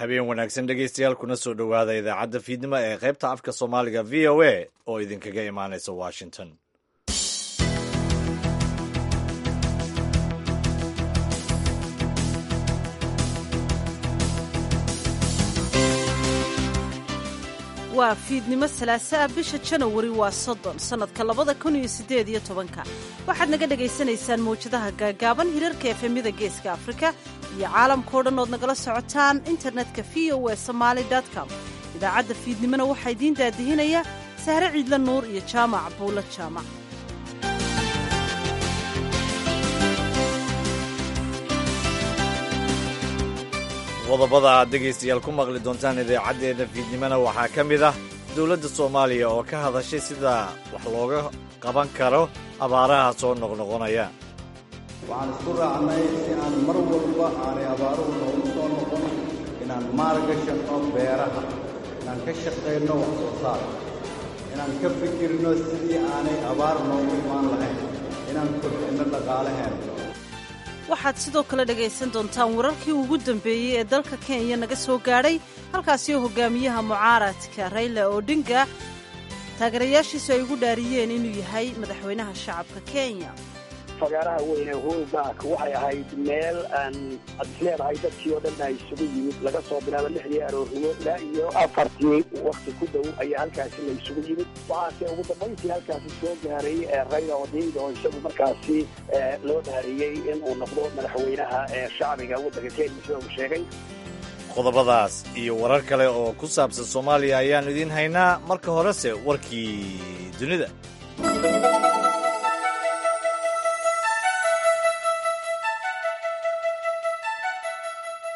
Habeen wanaagsan dhegaystayaal, kuna soo dhowaada idaacadda fiidnimo ee qaybta afka Soomaaliga VOA oo idinkaga imaanaysa Washington. Waa fiidnimo salaasaa, bisha Janawari waa 30, sannadka 2018-ka. Waxaad naga dhagaysanaysaan mawjadaha gaagaaban, hirarka efemyada Geeska Afrika iyo caalamkao dhan ood nagala socotaan internetka VOA Somali com. Idaacadda fiidnimona waxaa idiin daadihinaya Sahre Ciidla Nuur iyo Jaamac Buulo Jaamac. Qodobada aad dhegaystayaal ku maqli doontaan idaacaddeena fiidnimona waxaa ka mid ah dowladda Soomaaliya oo ka hadashay sida wax looga qaban karo abaaraha soo noqnoqonaya. Waxaan isku raacnay si aan mar walba aanay abaaruhu noogu soo noqon inaan maalgashanno beeraha, inaan ka shaqayno wax soo saarka, inaan ka fikirno sidii aanay abaar noogu imaan lahayn, inaan kobcinno dhaqaalaheena. Waxaad sidoo kale dhagaysan doontaan wararkii ugu dambeeyey ee dalka Kenya naga soo gaadhay, halkaasi oo hogaamiyaha mucaaradka Rayla Odinga taageerayaashiisu ay ugu dhaariyeen inuu yahay madaxweynaha shacabka Kenya. Fagaaraha weyne Uhuru Park waxay ahayd meel aan ad isleedahay dadkii oo dhan ay isugu yimid. Laga soo bilaabo 6dii aroornimo ilaa iyo 4tii wakti ku dhow ayaa halkaasi la isugu yimid. Waxaase ugu dambayntii halkaasi soo gaaray Rayla Odinga oo isagu markaasi loo dhaariyey in uu noqdo madaxweynaha shacbiga waddanka Kenya, sida uu sheegay. Qodobadaas iyo warar kale oo ku saabsan Soomaaliya ayaannu idiin haynaa. Marka horese warkii dunida.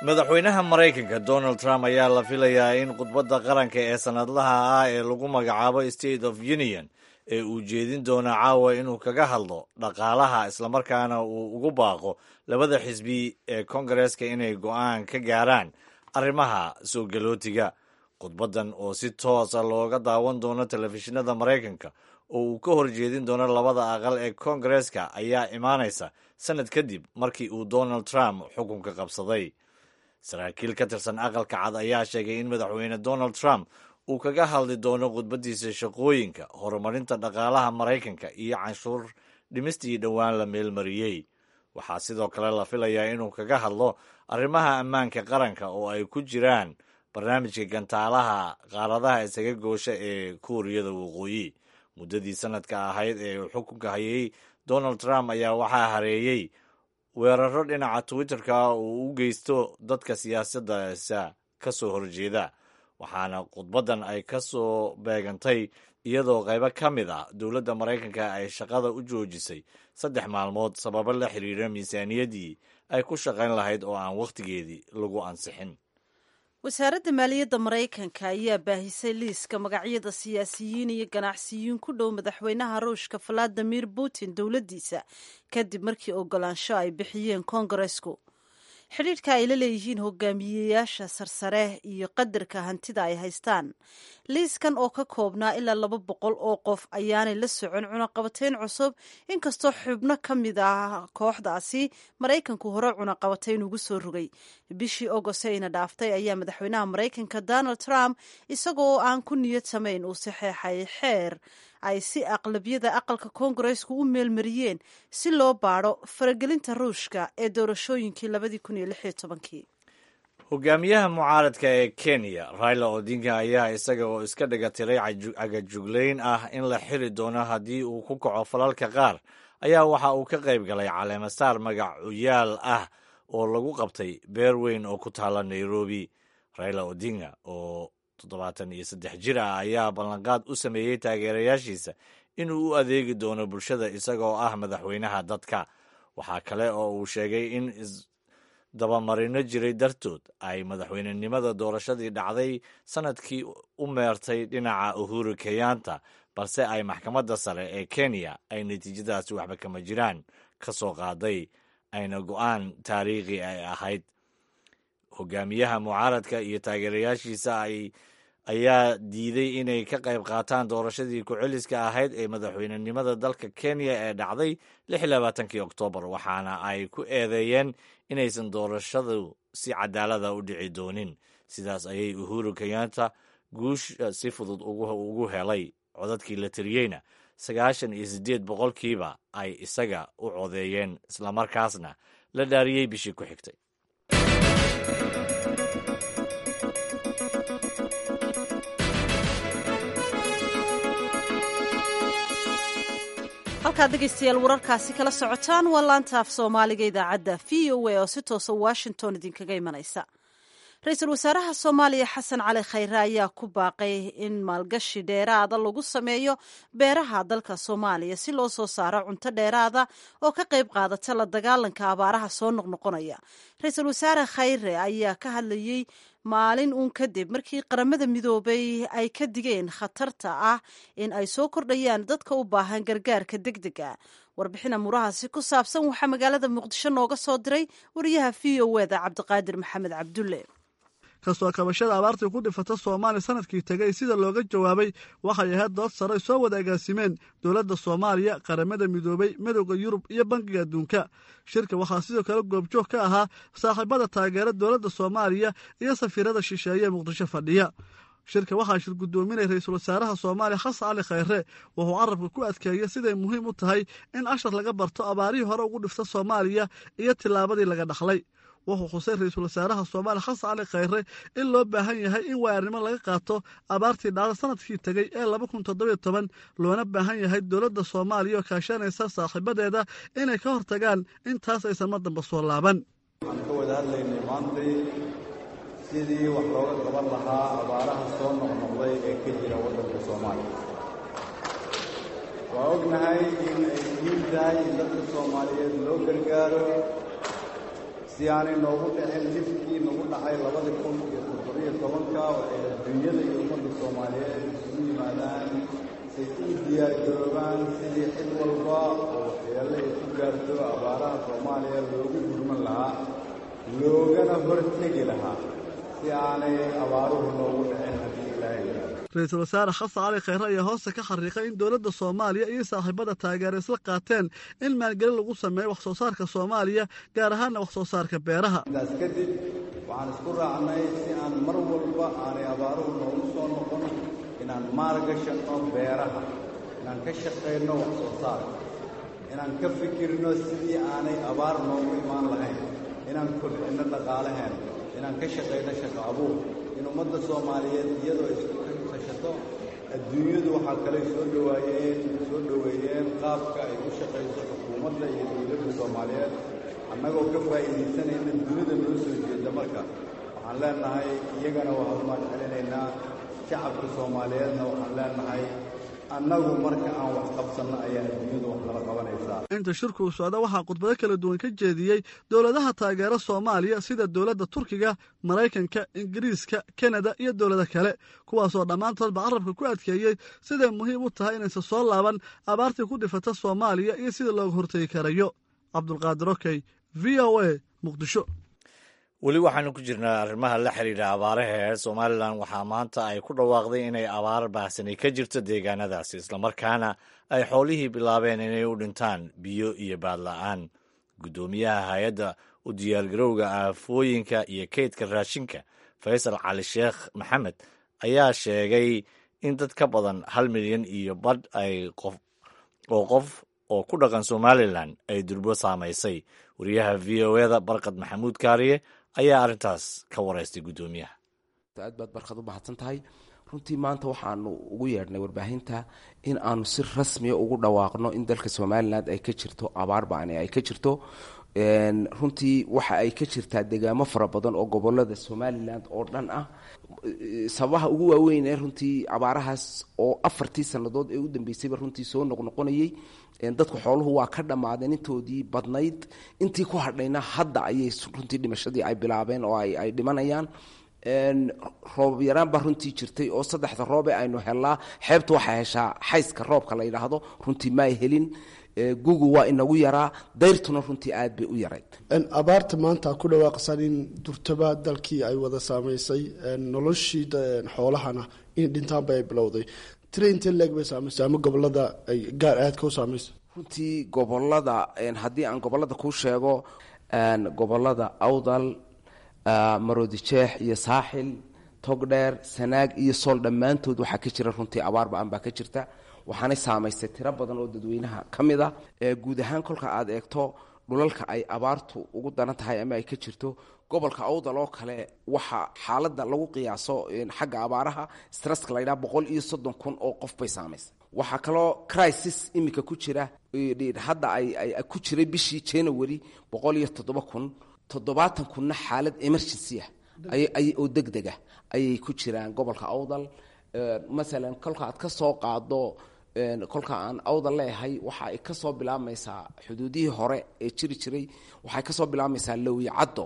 Madaxweynaha Maraykanka Donald Trump ayaa la filayaa in khudbadda qaranka ee sannadlaha ah ee lagu magacaabo State of Union ee uu jeedin doono caawa inuu kaga hadlo dhaqaalaha, islamarkaana uu ugu baaqo labada xisbi ee Kongareeska inay go'aan ka gaaraan arrimaha soo galootiga. Khudbaddan oo si toosa looga daawan doono telefishinada Maraykanka oo uu ka horjeedin doono labada aqal ee Kongareeska ayaa imaanaysa sannad kadib markii uu Donald Trump xukunka qabsaday. Saraakiil ka tirsan Aqalka Cad ayaa sheegay in Madaxweyne Donald Trump uu kaga hadli doono khudbaddiisa shaqooyinka, horumarinta dhaqaalaha Maraykanka iyo canshuur dhimistii dhowaan la meelmariyey. Waxaa sidoo kale la filayaa inuu kaga hadlo arrimaha ammaanka qaranka oo ay ku jiraan barnaamijka gantaalaha qaaradaha isaga goosha ee Kuuriyada Waqooyi. Muddadii sanadka ahayd ee uu xukunka hayay Donald Trump ayaa waxaa hareeyey weeraro dhinaca Twitterka uu u geysto dadka siyaasaddaasa ka soo horjeeda, waxaana khudbaddan ay ka soo beegantay iyadoo qaybo ka mid ah dowladda Maraykanka ay shaqada u joojisay 3 maalmood sababo la xiriira miisaaniyaddii ay ku shaqayn lahayd oo aan wakhtigeedii lagu ansixin. Wasaaradda maaliyadda Maraykanka ayaa baahisay liiska magacyada siyaasiyiin iyo ganacsiyiin ku dhow madaxweynaha Ruushka Valadimir Putin dowladdiisa, kadib markii ogolaansho ay bixiyeen Koongareesku. Xidhiidhka ay la leeyihiin hogaamiyeyaasha sarsare iyo qadarka hantida ay haystaan. Liiskan oo ka koobnaa ilaa 200 oo qof ayaanay la socon cunaqabateyn cusub, inkastoo xubno ka mid ah kooxdaasi Maraykanku hore cunaqabateyn ugu soo rogay. Bishii Ogostayna dhaaftay ayaa madaxweynaha Maraykanka Donald Trump, isagoo aan ku niyad samayn, uu saxeexay xeer ay si aqlabiyada aqalka Koongareesku u meelmariyeen si loo baadho faragelinta Ruushka ee doorashooyinkii 2016-kii. Hogaamiyaha mucaaradka ee Kenya Raila Odinga ayaa isaga oo iska dhiga tiray cagajuglayn ah in la xiri doono haddii uu ku kaco falalka qaar ayaa waxa uu ka qayb galay caleemasaar magacuyaal ah oo lagu qabtay beer weyn oo ku taala Nairobi. Raila Odinga oo 73 jir ah ayaa ballanqaad u sameeyey taageerayaashiisa inuu u adeegi doono bulshada isagoo ah madaxweynaha dadka. Waxaa kale oo uu sheegay in isdabamarino jiray dartood ay madaxweynenimada doorashadii dhacday sanadkii u meertay dhinaca Uhuru Kenyatta, balse ay maxkamadda sare ee Kenya ay natiijadaasi waxba kama jiraan ka soo qaaday, ayna go'aan taariikhi ay ahayd. Hogaamiyaha mucaaradka iyo taageerayaashiisa ay ayaa diiday inay ka qayb qaataan doorashadii ku-celiska ahayd ee madaxweynenimada dalka Kenya ee dhacday 26-kii Oktoobar, waxaana ay ku eedeeyeen inaysan doorashadu si cadaalada u dhici doonin. Sidaas ayay Uhuru Kenyatta guusha si fudud ugu helay. Codadkii la tiriyeyna 98% ay isaga u codeeyeen, islamarkaasna la dhaariyey bishii ku xigtay. Halkaad dhegaystayaal wararkaasi kala socotaan waa laanta af Soomaaliga idaacadda VOA oo si toosa Washington idinkaga imanaysa. Ra-iisul wasaaraha Soomaaliya Xasan Cali Khayre ayaa ku baaqay in maalgashi dheeraada lagu sameeyo beeraha dalka Soomaaliya si loo soo saaro cunto dheeraada oo ka qayb qaadata la dagaalanka abaaraha soo noqnoqonaya. Ra-iisul wasaare Khayre ayaa ka hadlayey maalin uun kadib markii Qaramada Midoobay ay ka digeen khatarta ah in ay soo kordhayaan dadka u baahan gargaarka degdega. Warbixin amuurahaasi ku saabsan waxaa magaalada Muqdisho nooga soo diray wariyaha VOA da Cabdiqaadir Maxamed Cabdulle. Kastoo kabashada abaartii ku dhifata Soomaaliya sanadkii tegay sida looga jawaabay waxay ahayd dood sare soo wada agaasimeen dowladda Soomaaliya, Qaramada Midoobay, Midowda Yurub iyo Bangiga Adduunka. Shirka waxaa sidoo kale goobjoog ka ahaa saaxiibada taageera dowladda Soomaaliya iyo safiirada shisheeye ee Muqdisho fadhiya. Shirka waxaa shir guddoominay ra-iisul wasaaraha Soomaaliya Xasan Cali Khayre. Wuxuu carabka ku adkeeyey siday muhiim u tahay in cashar laga barto abaarihii hore ugu dhifta Soomaaliya iyo tillaabadii laga dhaxlay. Wuxuu xusay ra-iisul wasaaraha Soomaaliya Xasan Cali Khayre in loo baahan yahay in waayarnimo laga qaato abaartii dhacda sanadkii tegey ee 2017, loona baahan yahay dowladda Soomaaliya oo kaashanaysa saaxiibadeeda inay ka hortagaan intaas aysan mar damba soo laaban. Waxaan ka wada hadlaynay maantay sidii wax looga qaban lahaa abaaraha soo noqnoqday ee ka jira waddanka Soomaaliya. Waa ognahay in ay muhiim tahay in dadka Soomaaliyeed loo gargaaro si aanay noogu dhicin dhibkii nagu dhacay 2017-ka, oo ay adduunyada iyo ummadda Soomaaliyeed isugu yimaadaan say u diyaargaroobaan sidii cid walba oo waxyeello ay ku gaarto abaaraha Soomaaliya loogu gurman lahaa, loogana hortegi lahaa si aanay abaaruhu noogu dhicin haddii Ilaahay yidhaahdo. Ra-iisul wasaare Xasan Cali Khayre ayaa hoosta ka xariiqay in dowladda Soomaaliya iyo saaxiibada taageera isla qaateen in maalgelin lagu sameeyo wax soo saarka Soomaaliya, gaar ahaanna wax soo saarka beeraha. Intaas kadib waxaan isku raacnay si aan mar walba aanay abaaruhu noogu soo noqon inaan maalgashanno beeraha, inaan ka shaqayno wax soo saarka, inaan ka fikirno sidii aanay abaar noogu imaan lahayn, inaan kobcinno dhaqaalaheen, inaan ka shaqayno shaqo abuur, in ummadda Soomaaliyeed iyadoo isku tashato. Adduunyadu waxaa kaley soo dhawaayeen soo dhoweeyeen qaabka ay u shaqayso xukuumadda iyo dowladda Soomaaliyeed. Annagoo ka faa'iidaysanayna dunida noo soo jeeda, marka waxaan leenahay iyagana waa mahad celinaynaa. Shacabka Soomaaliyeedna waxaan leenahay, annagu marka aan wax qabsanno ayaa adduunyadu wax nala qabanaysaa. Inta shirku uu socda waxaa khudbado kala duwan ka jeediyey dowladaha taageera Soomaaliya sida dowladda Turkiga, Maraykanka, Ingiriiska, Kanada iyo dowlado kale, kuwaasoo dhammaantoodba carabka ku adkeeyey siday muhiim u tahay inaysan soo laaban abaartii ku dhifata Soomaaliya iyo sida looga hortegi karayo. Cabdulqaadir Okey, VOA, Muqdisho. Weli waxaanu ku jirnaa arrimaha la xiriira abaaraha ee Somalilan. Waxaa maanta ay ku dhawaaqday inay abaar baahsani ka jirto deegaanadaasi, islamarkaana ay xoolihii bilaabeen inay u dhintaan biyo iyo baadla'aan. Guddoomiyaha hay-adda u diyaargarowga aafooyinka iyo kaydka raashinka, Faysal Cali Sheekh Maxamed, ayaa sheegay in dad ka badan 1.5 milyan ay qof oo qof oo ku dhaqan Somalilan ay durbo saamaysay. Wariyaha VOA da Barkad Maxamuud Kaariye ayaa arrintaas ka wareystay guddoomiyaha. Aad baad, Barkad, u mahadsan tahay. Runtii maanta waxaanu ugu yeedhnay warbaahinta in aanu si rasmiya ugu dhawaaqno in dalka Somalilan ay ka jirto abaar ba'ani ay ka jirto. Runtii waxa ay ka jirtaa degaamo fara badan oo gobolada Somalilan oo dhan ah. Sababaha ugu waaweyn ee runtii abaarahaas oo afartii sannadood ee u dambeysayba runtii soo noqnoqonayay, dadku xooluhu waa ka dhammaadeen intoodii badnayd, intii ku hadhayna hadda ayay runtii dhimashadii ay bilaabeen oo ay dhimanayaan. Roobab yaraan baa runtii jirtay oo saddexda roobe aynu helnaa, xeebta waxaa heshaa xayska roobka la yidhaahdo, runtii ma ay helin. Gugu waa inagu yaraa, dayrtuna runtii aad bay u yarayd. Abaarta maanta ku dhawaaqsan in durtaba dalkii ay wada saamaysay, noloshii xoolahana in dhintaanba ay bilowday, tira intee leeg bay saamaysay ama gobolada ay gaar aadka u saamaysay? Runtii gobolada, haddii aan gobolada kuu sheego, gobolada Awdal, Maroodi Jeex iyo Saaxil, Togdheer, Sanaag iyo Sool, dhammaantood waxaa ka jira runtii abaar ba-an baa ka jirta, waxaanay saamaysay tiro badan oo dadweynaha ka mid a. Guud ahaan kolka aad eegto dhulalka ay abaartu ugu daran tahay ama ay ka jirto, gobolka Awdal oo kale waxaa xaaladda lagu qiyaaso xagga abaaraha stresska la ydhaha 130,000 oo qof bay saamaysay. Waxaa kaloo crisis iminka ku jira hadda ay ku jiray bishii January 107,000, 70,000-na xaalad emergency ah oo deg deg ah ayay ku jiraan gobolka Awdal. Masalan kolka aad ka soo qaado, kolka aan Awdal leeyahay, waxa ay ka soo bilaabmaysaa xuduudihii hore ee jiri jiray, waxay ka soo bilaabmaysaa Lowiyo Caddo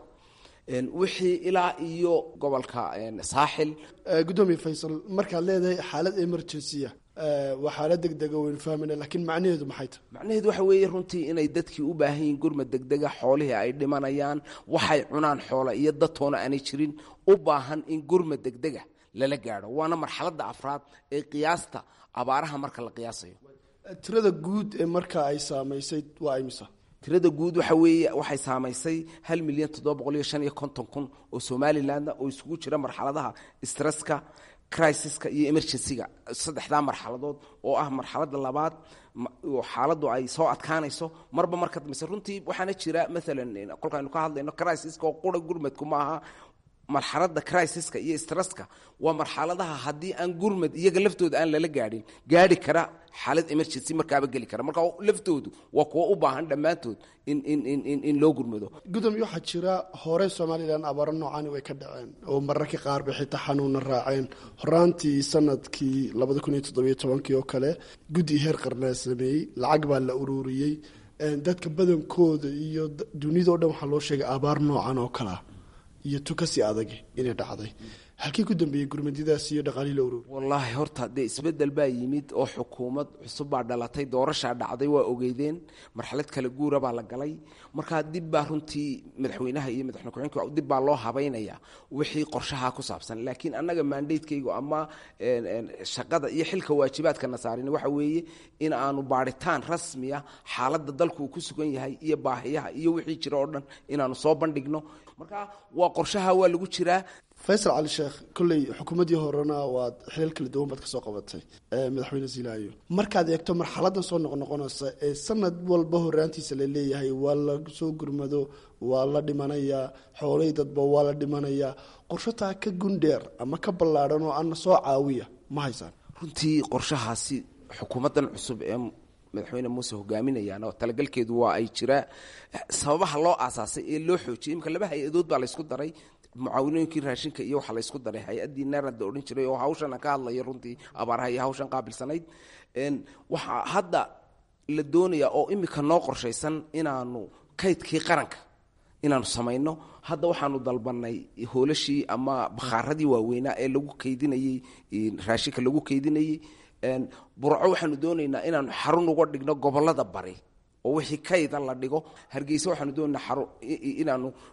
wixii ilaa iyo gobolka Saaxil. Gudoomiye Faysal, markaad leedahay xaalad emergency ah waa xaalad deg dega, waynu fahmayna, laakiin macnaheedu maxay tahay? Macnaheedu waxa weeye runtii inay dadkii u baahan yihiin gurmad degdega, xoolihii ay dhimanayaan, waxay cunaan xoola iyo dadtoona aanay jirin, u baahan in gurmad degdega lala gaadho. Waana marxaladda afraad ee qiyaasta abaaraha marka la qiyaasayo. Tirada guud ee marka ay saamaysay waa imisa? Tirada guud waxa weeye waxay saamaysay 1,755,000 oo Somalilandna, oo isugu jira marxaladaha stresska, crisiska iyo emergencyga, saddexdaa marxaladood oo ah marxaladda labaad oo xaaladdu ay soo adkaanayso marba marka dambeyse runtii. Waxaana jira maalan kolkaaynu ka hadlayno crisiska oo qura, gurmadku maaha marxaladda crisiska iyo stresska, waa marxaladaha haddii aan gurmad iyaga laftooda aan lala gaadhin gaadhi kara xaalad emergency markaaba geli kara. Marka laftoodu waa kuwo u baahan dhammaantood in in in in in loo gurmado. Gudoomiye, waxaa jira hore Somalilan abaaro noocaani way ka dhaceen oo mararka qaar bay xitaa xanuuna raaceen. Horaantii sanadkii 2017-kii oo kale guddi heer qarnaa sameeyey, lacag baa la ururiyey. Dadka badankooda iyo dunida o dhan waxaa loo sheegay abaar noocan oo kalea iyo tukasi adag inay dhacday. Halkii ku dambeeyey gurmadidaas iyo dhaqaalihii la ururi? Wallaahi horta dee isbeddel baa yimid oo xukuumad cusub baa dhalatay, doorashaa dhacday, waa ogeydeen, marxalad kala guura baa la galay. Markaa dib baa runtii madaxweynaha iyo madaxweyne ku-xigeenka dib baa loo habaynayaa wixii qorshaha ku saabsan. Laakiin annaga mandatekaygu ama shaqada iyo xilka waajibaadka saarin waxa weeye in aanu baadhitaan rasmiya xaaladda dalku uu ku sugan yahay iyo baahiyaha iyo wixii jira oo dhan inaanu soo bandhigno. Marka waa qorshaha waa lagu jiraa. Faysal Cali Sheekh, kolley xukuumaddii horena waad xilal kala duwan baad ka soo qabatay madaxweyne Silaayo. Markaad eegto marxaladan soo noqnoqonaysa ee sanad walba horaantiisa la leeyahay waa la soo gurmado, waa la dhimanayaa xoolay dadba waa la dhimanayaa, qorshataa ka gundheer ama ka ballaadhan oo ana soo caawiya ma haysaan? Runtii qorshahaasi xukuumaddan cusub ee madaxweyne Muuse hogaaminayaan oo talagalkeedu waa ay jiraa. Sababaha loo aasaasay ee loo xoojiyay, imika laba hay-adood baa laysku daray, mucaawinooyinkii raashinka iyo waxaa laysku daray hay-addii NARAD odhan jiray oo hawshan aan ka hadlayo runtii abaaraha iyo hawshan qaabilsanayd. Waxaa hadda la doonayaa oo imika noo qorshaysan inaanu kaydkii qaranka inaanu samayno. Hadda waxaanu dalbanay hoolashii ama bakhaaradii waaweynaa ee lagu kaydinayey raashinka lagu kaydinayey. Burco waxaanu doonaynaa inaanu xarun uga dhigno gobolada bari oo wixii kayda la dhigo. Hargeysa waxaanu doonaynaa xarun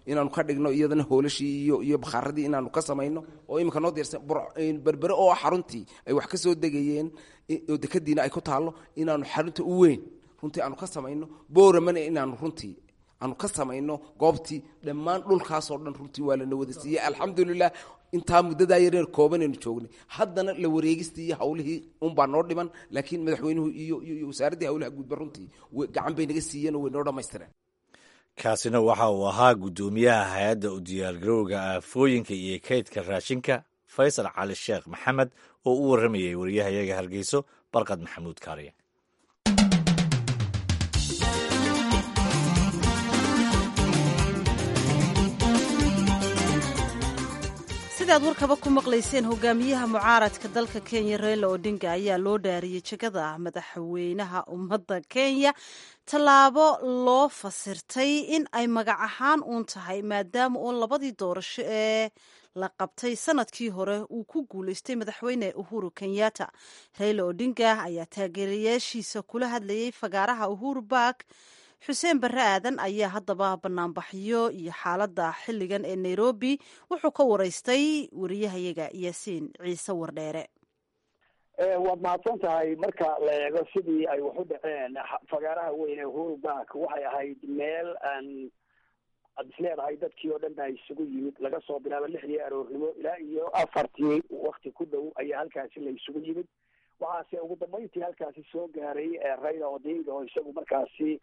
inaanu ka dhigno iyadana hoolashii iyo bakhaaradii inaanu ka samayno oo iminka noo diyaarsan. Berbere oo xaruntii ay wax ka soo degayeen oo dekadiina ay ku taallo inaanu xarunta u weyn runtii aanu ka samayno. Booramana inaanu runtii aanu ka samayno goobtii. Dhammaan dhulkaasoo dhan runtii waa lana wada siiyey, alxamdulilah. Intaa muddadaa yareer koobanaynu joognay, haddana la wareegistii iyo hawlihii unbaa noo dhiman, laakiin madaxweynuhu iyo wasaaraddii hawlaha guudba runtii gacan bay naga siiyeen oo way noo dhammaystireen. Kaasina waxa uu ahaa guddoomiyaha hay-adda u diyaargarowga aafooyinka iyo kaydka raashinka, Faysal Cali Sheekh Maxamed, oo u warramayay wariyahayaga Hargeyso, Barqad Maxamuud Kaariye. Sidaad warkaba ku maqlayseen, hogaamiyaha mucaaradka dalka Kenya Raila Odinga ayaa loo dhaariyey jegada madaxweynaha ummadda Kenya, tallaabo loo fasirtay in ay magac ahaan uun tahay maadaama oo labadii doorasho ee la qabtay sanadkii hore uu ku guulaystay madaxweyne Uhuru Kenyatta. Raila Odinga ayaa taageerayaashiisa kula hadlayay fagaaraha Uhuru Park. Xuseen Barre Aadan ayaa haddaba banaanbaxyo iyo xaaladda xilligan ee Nairobi wuxuu ka waraystay wariyahayaga Yaasiin Ciise Wardheere. Waad mahadsan tahay. Marka la eego sidii ay wax u dhaceen, fagaaraha weyn ee Uhuru Park waxay ahayd meel aan Aad is leedahay dadkii oo dhan baa isugu yimid, laga soo bilaabo 6dii aroornimo ilaa iyo 4tii wakti ku dhow ayaa halkaasi la isugu yimid. Waxaase ugu dambeyntii halkaasi soo gaaray Raila Odinga, oo isagu markaasi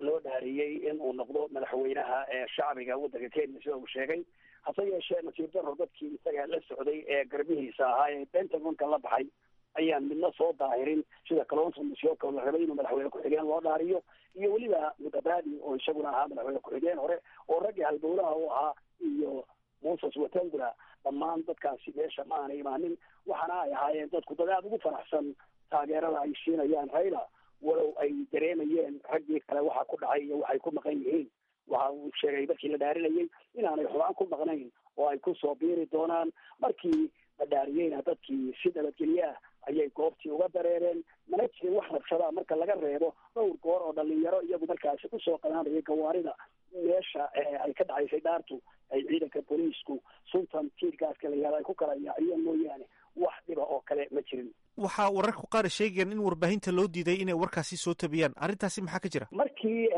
loo dhaariyey in uu noqdo madaxweynaha shacbiga waddanka Kenya, sida uu sheegay. Hase yeeshee, nasiib daro, dadkii isaga la socday ee garbihiisa ahaa ee Pentagonka la baxay ayaan midna soo daahirin, sida Kalonzo Musyoka oo la rabay inuu madaxweyne ku-xigeen loo dhaariyo, iyo weliba Mudavadi oo isaguna ahaa madaxweyne ku-xigeen hore oo raggii halbowlaha u ahaa, iyo Moses Wetangula. Dhammaan dadkaasi meesha ma aanay imaanin, waxaana ay ahaayeen dadku dad aada ugu faraxsan taageerada ay siinayaan Raila, walow ay dareemayeen raggii kale waxa ku dhacay iyo waxay ku maqan yihiin. Waxa uu sheegay markii la dhaarinayay inaanay xubaan ku maqnayn oo ay kusoo biiri doonaan. Markii la dhaariyeyna dadkii si nabadgelye ah ayay goobtii uga dareereen. Mana jirin wax rabshadaa, marka laga reebo dhowr goor oo dhalinyaro iyagu markaasi kusoo qanaanayay gawaarida meesha ay ka dhacaysay dhaartu ay ciidanka booliisku suntan tiirgaaska la yihahdo ay ku kala yaaciyeen mooyaane, wax dhiba oo kale ma jirin. Waxaa wararku qaar sheegayaan in warbaahinta loo diiday inay warkaasi soo tabiyaan. Arrintaasi maxaa ka jira? Markii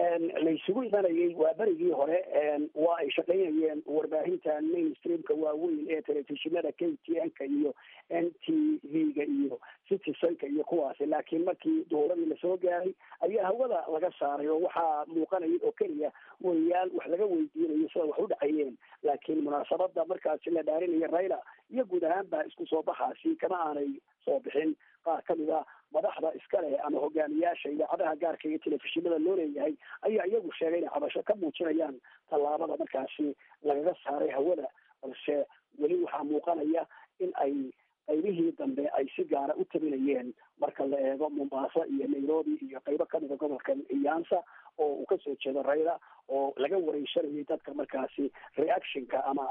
laysugu imanayey waa berigii hore, waa ay shaqaynayeen warbaahinta mainstreamka waaweyn ee telefishinada KTN-ka iyo NTV-ga iyo Citizenka iyo kuwaasi, laakiin markii duhuradii lasoo gaaray ayaa hawada laga saaray, oo waxaa muuqanaya oo keliya wariyaal wax laga weydiinayo sida wax u dhacayeen. Laakiin munaasabada markaasi la dhaarinaya Raila iyo guud ahaanba isku soo baxaasi kama aanay soo bixin qaar ka mid a madaxda iska leh ama hogaamiyaasha idaacadaha gaarka iyo telefishinada loo leeyahay ayaa iyagu sheegay inay cabasho ka muujinayaan tallaabada markaasi lagaga saaray hawada. Balse weli waxaa muuqanaya in ay qaybihii dambe ay si gaara u tabinayeen, marka la eego Mombasa iyo Nairobi iyo qaybo kamida gobolka Nyanza oo uu kasoo jeedo Raila, oo laga wareysanayay dadka markaasi reactionka ama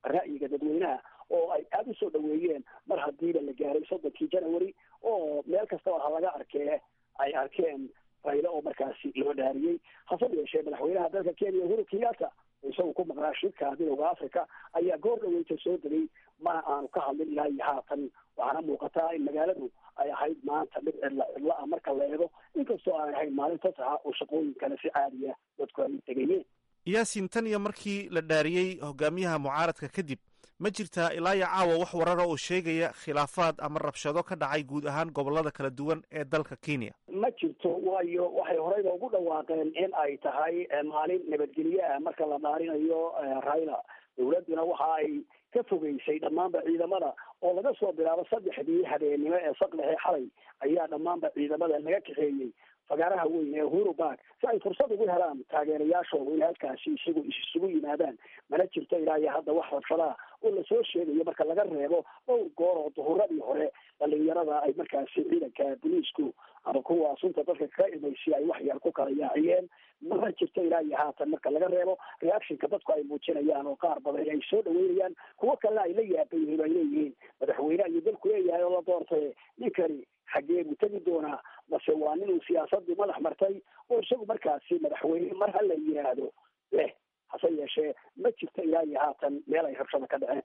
ra'yiga dadweynaha, oo ay aada usoo dhaweeyeen mar hadiiba la gaaray 30kii January, oo meel kastaba ha laga arkee ay arkeen Raila oo markaasi loo dhaariyey. Hase yeeshee, madaxweynaha dalka Kenya Uhuru Kenyatta, isagu ku maqnaa shirka Midowda Africa, ayaa goor dhaweyta soo degay, mana aanu ka hadlin ilaa iyo haatan. Waxaana muuqataa in magaaladu ay ahayd maanta mid cidla cidla ah marka la eego, inkastoo aanay ahayn maalin fasaxa oo shaqooyin kale si caadiya dadku ay tegayeen. Yaasin, tan iyo markii la dhaariyey hogaamiyaha mucaaradka kadib, ma jirtaa ilaa iyo caawa wax warara oo sheegaya khilaafaad ama rabshado ka dhacay guud ahaan gobollada kala duwan ee dalka Kenya? Ma jirto, waayo waxay horeyba ugu dhawaaqeen in ay tahay maalin nabadgelye ah marka la dhaarinayo Raila. Dowladduna waxa ay ka fogeysay dhammaanba ciidamada, oo laga soo bilaabo 3dii habeennimo ee saqdhexe xalay ayaa dhammaanba ciidamada laga kaxeeyey fagaaraha weyn ee Uhuru Park, si ay fursad ugu helaan taageerayaashoodu inay halkaasi isagu isugu yimaadaan. Mana jirto ilaa iyo hadda wax rabshadaha oo lasoo sheegayo, marka laga reebo dhowr goor oo duhuradii hore dhalinyarada ay markaasi ciidanka booliisku ama kuwa sunta dadka kaga imaysi ay wax yar ku kala yaaciyeen. Mana jirto ilaa iyo haatan, marka laga reebo reactionka dadku ay muujinayaan, oo qaar badan ay soo dhaweynayaan, kuwo kalena ay la yaaban yihiin oo ay leeyihiin madaxweyne ayuu dalku leeyahay oo la doortay, ninkani xaggee buu tegi doonaa? Mase waa ninuu siyaasadii madax martay oo isagu markaasi madaxweyne mar ha la yiraahdo leh? Hase yeeshee, ma jirto ilaa iyo haatan meel ay rabshada ka dhaceen.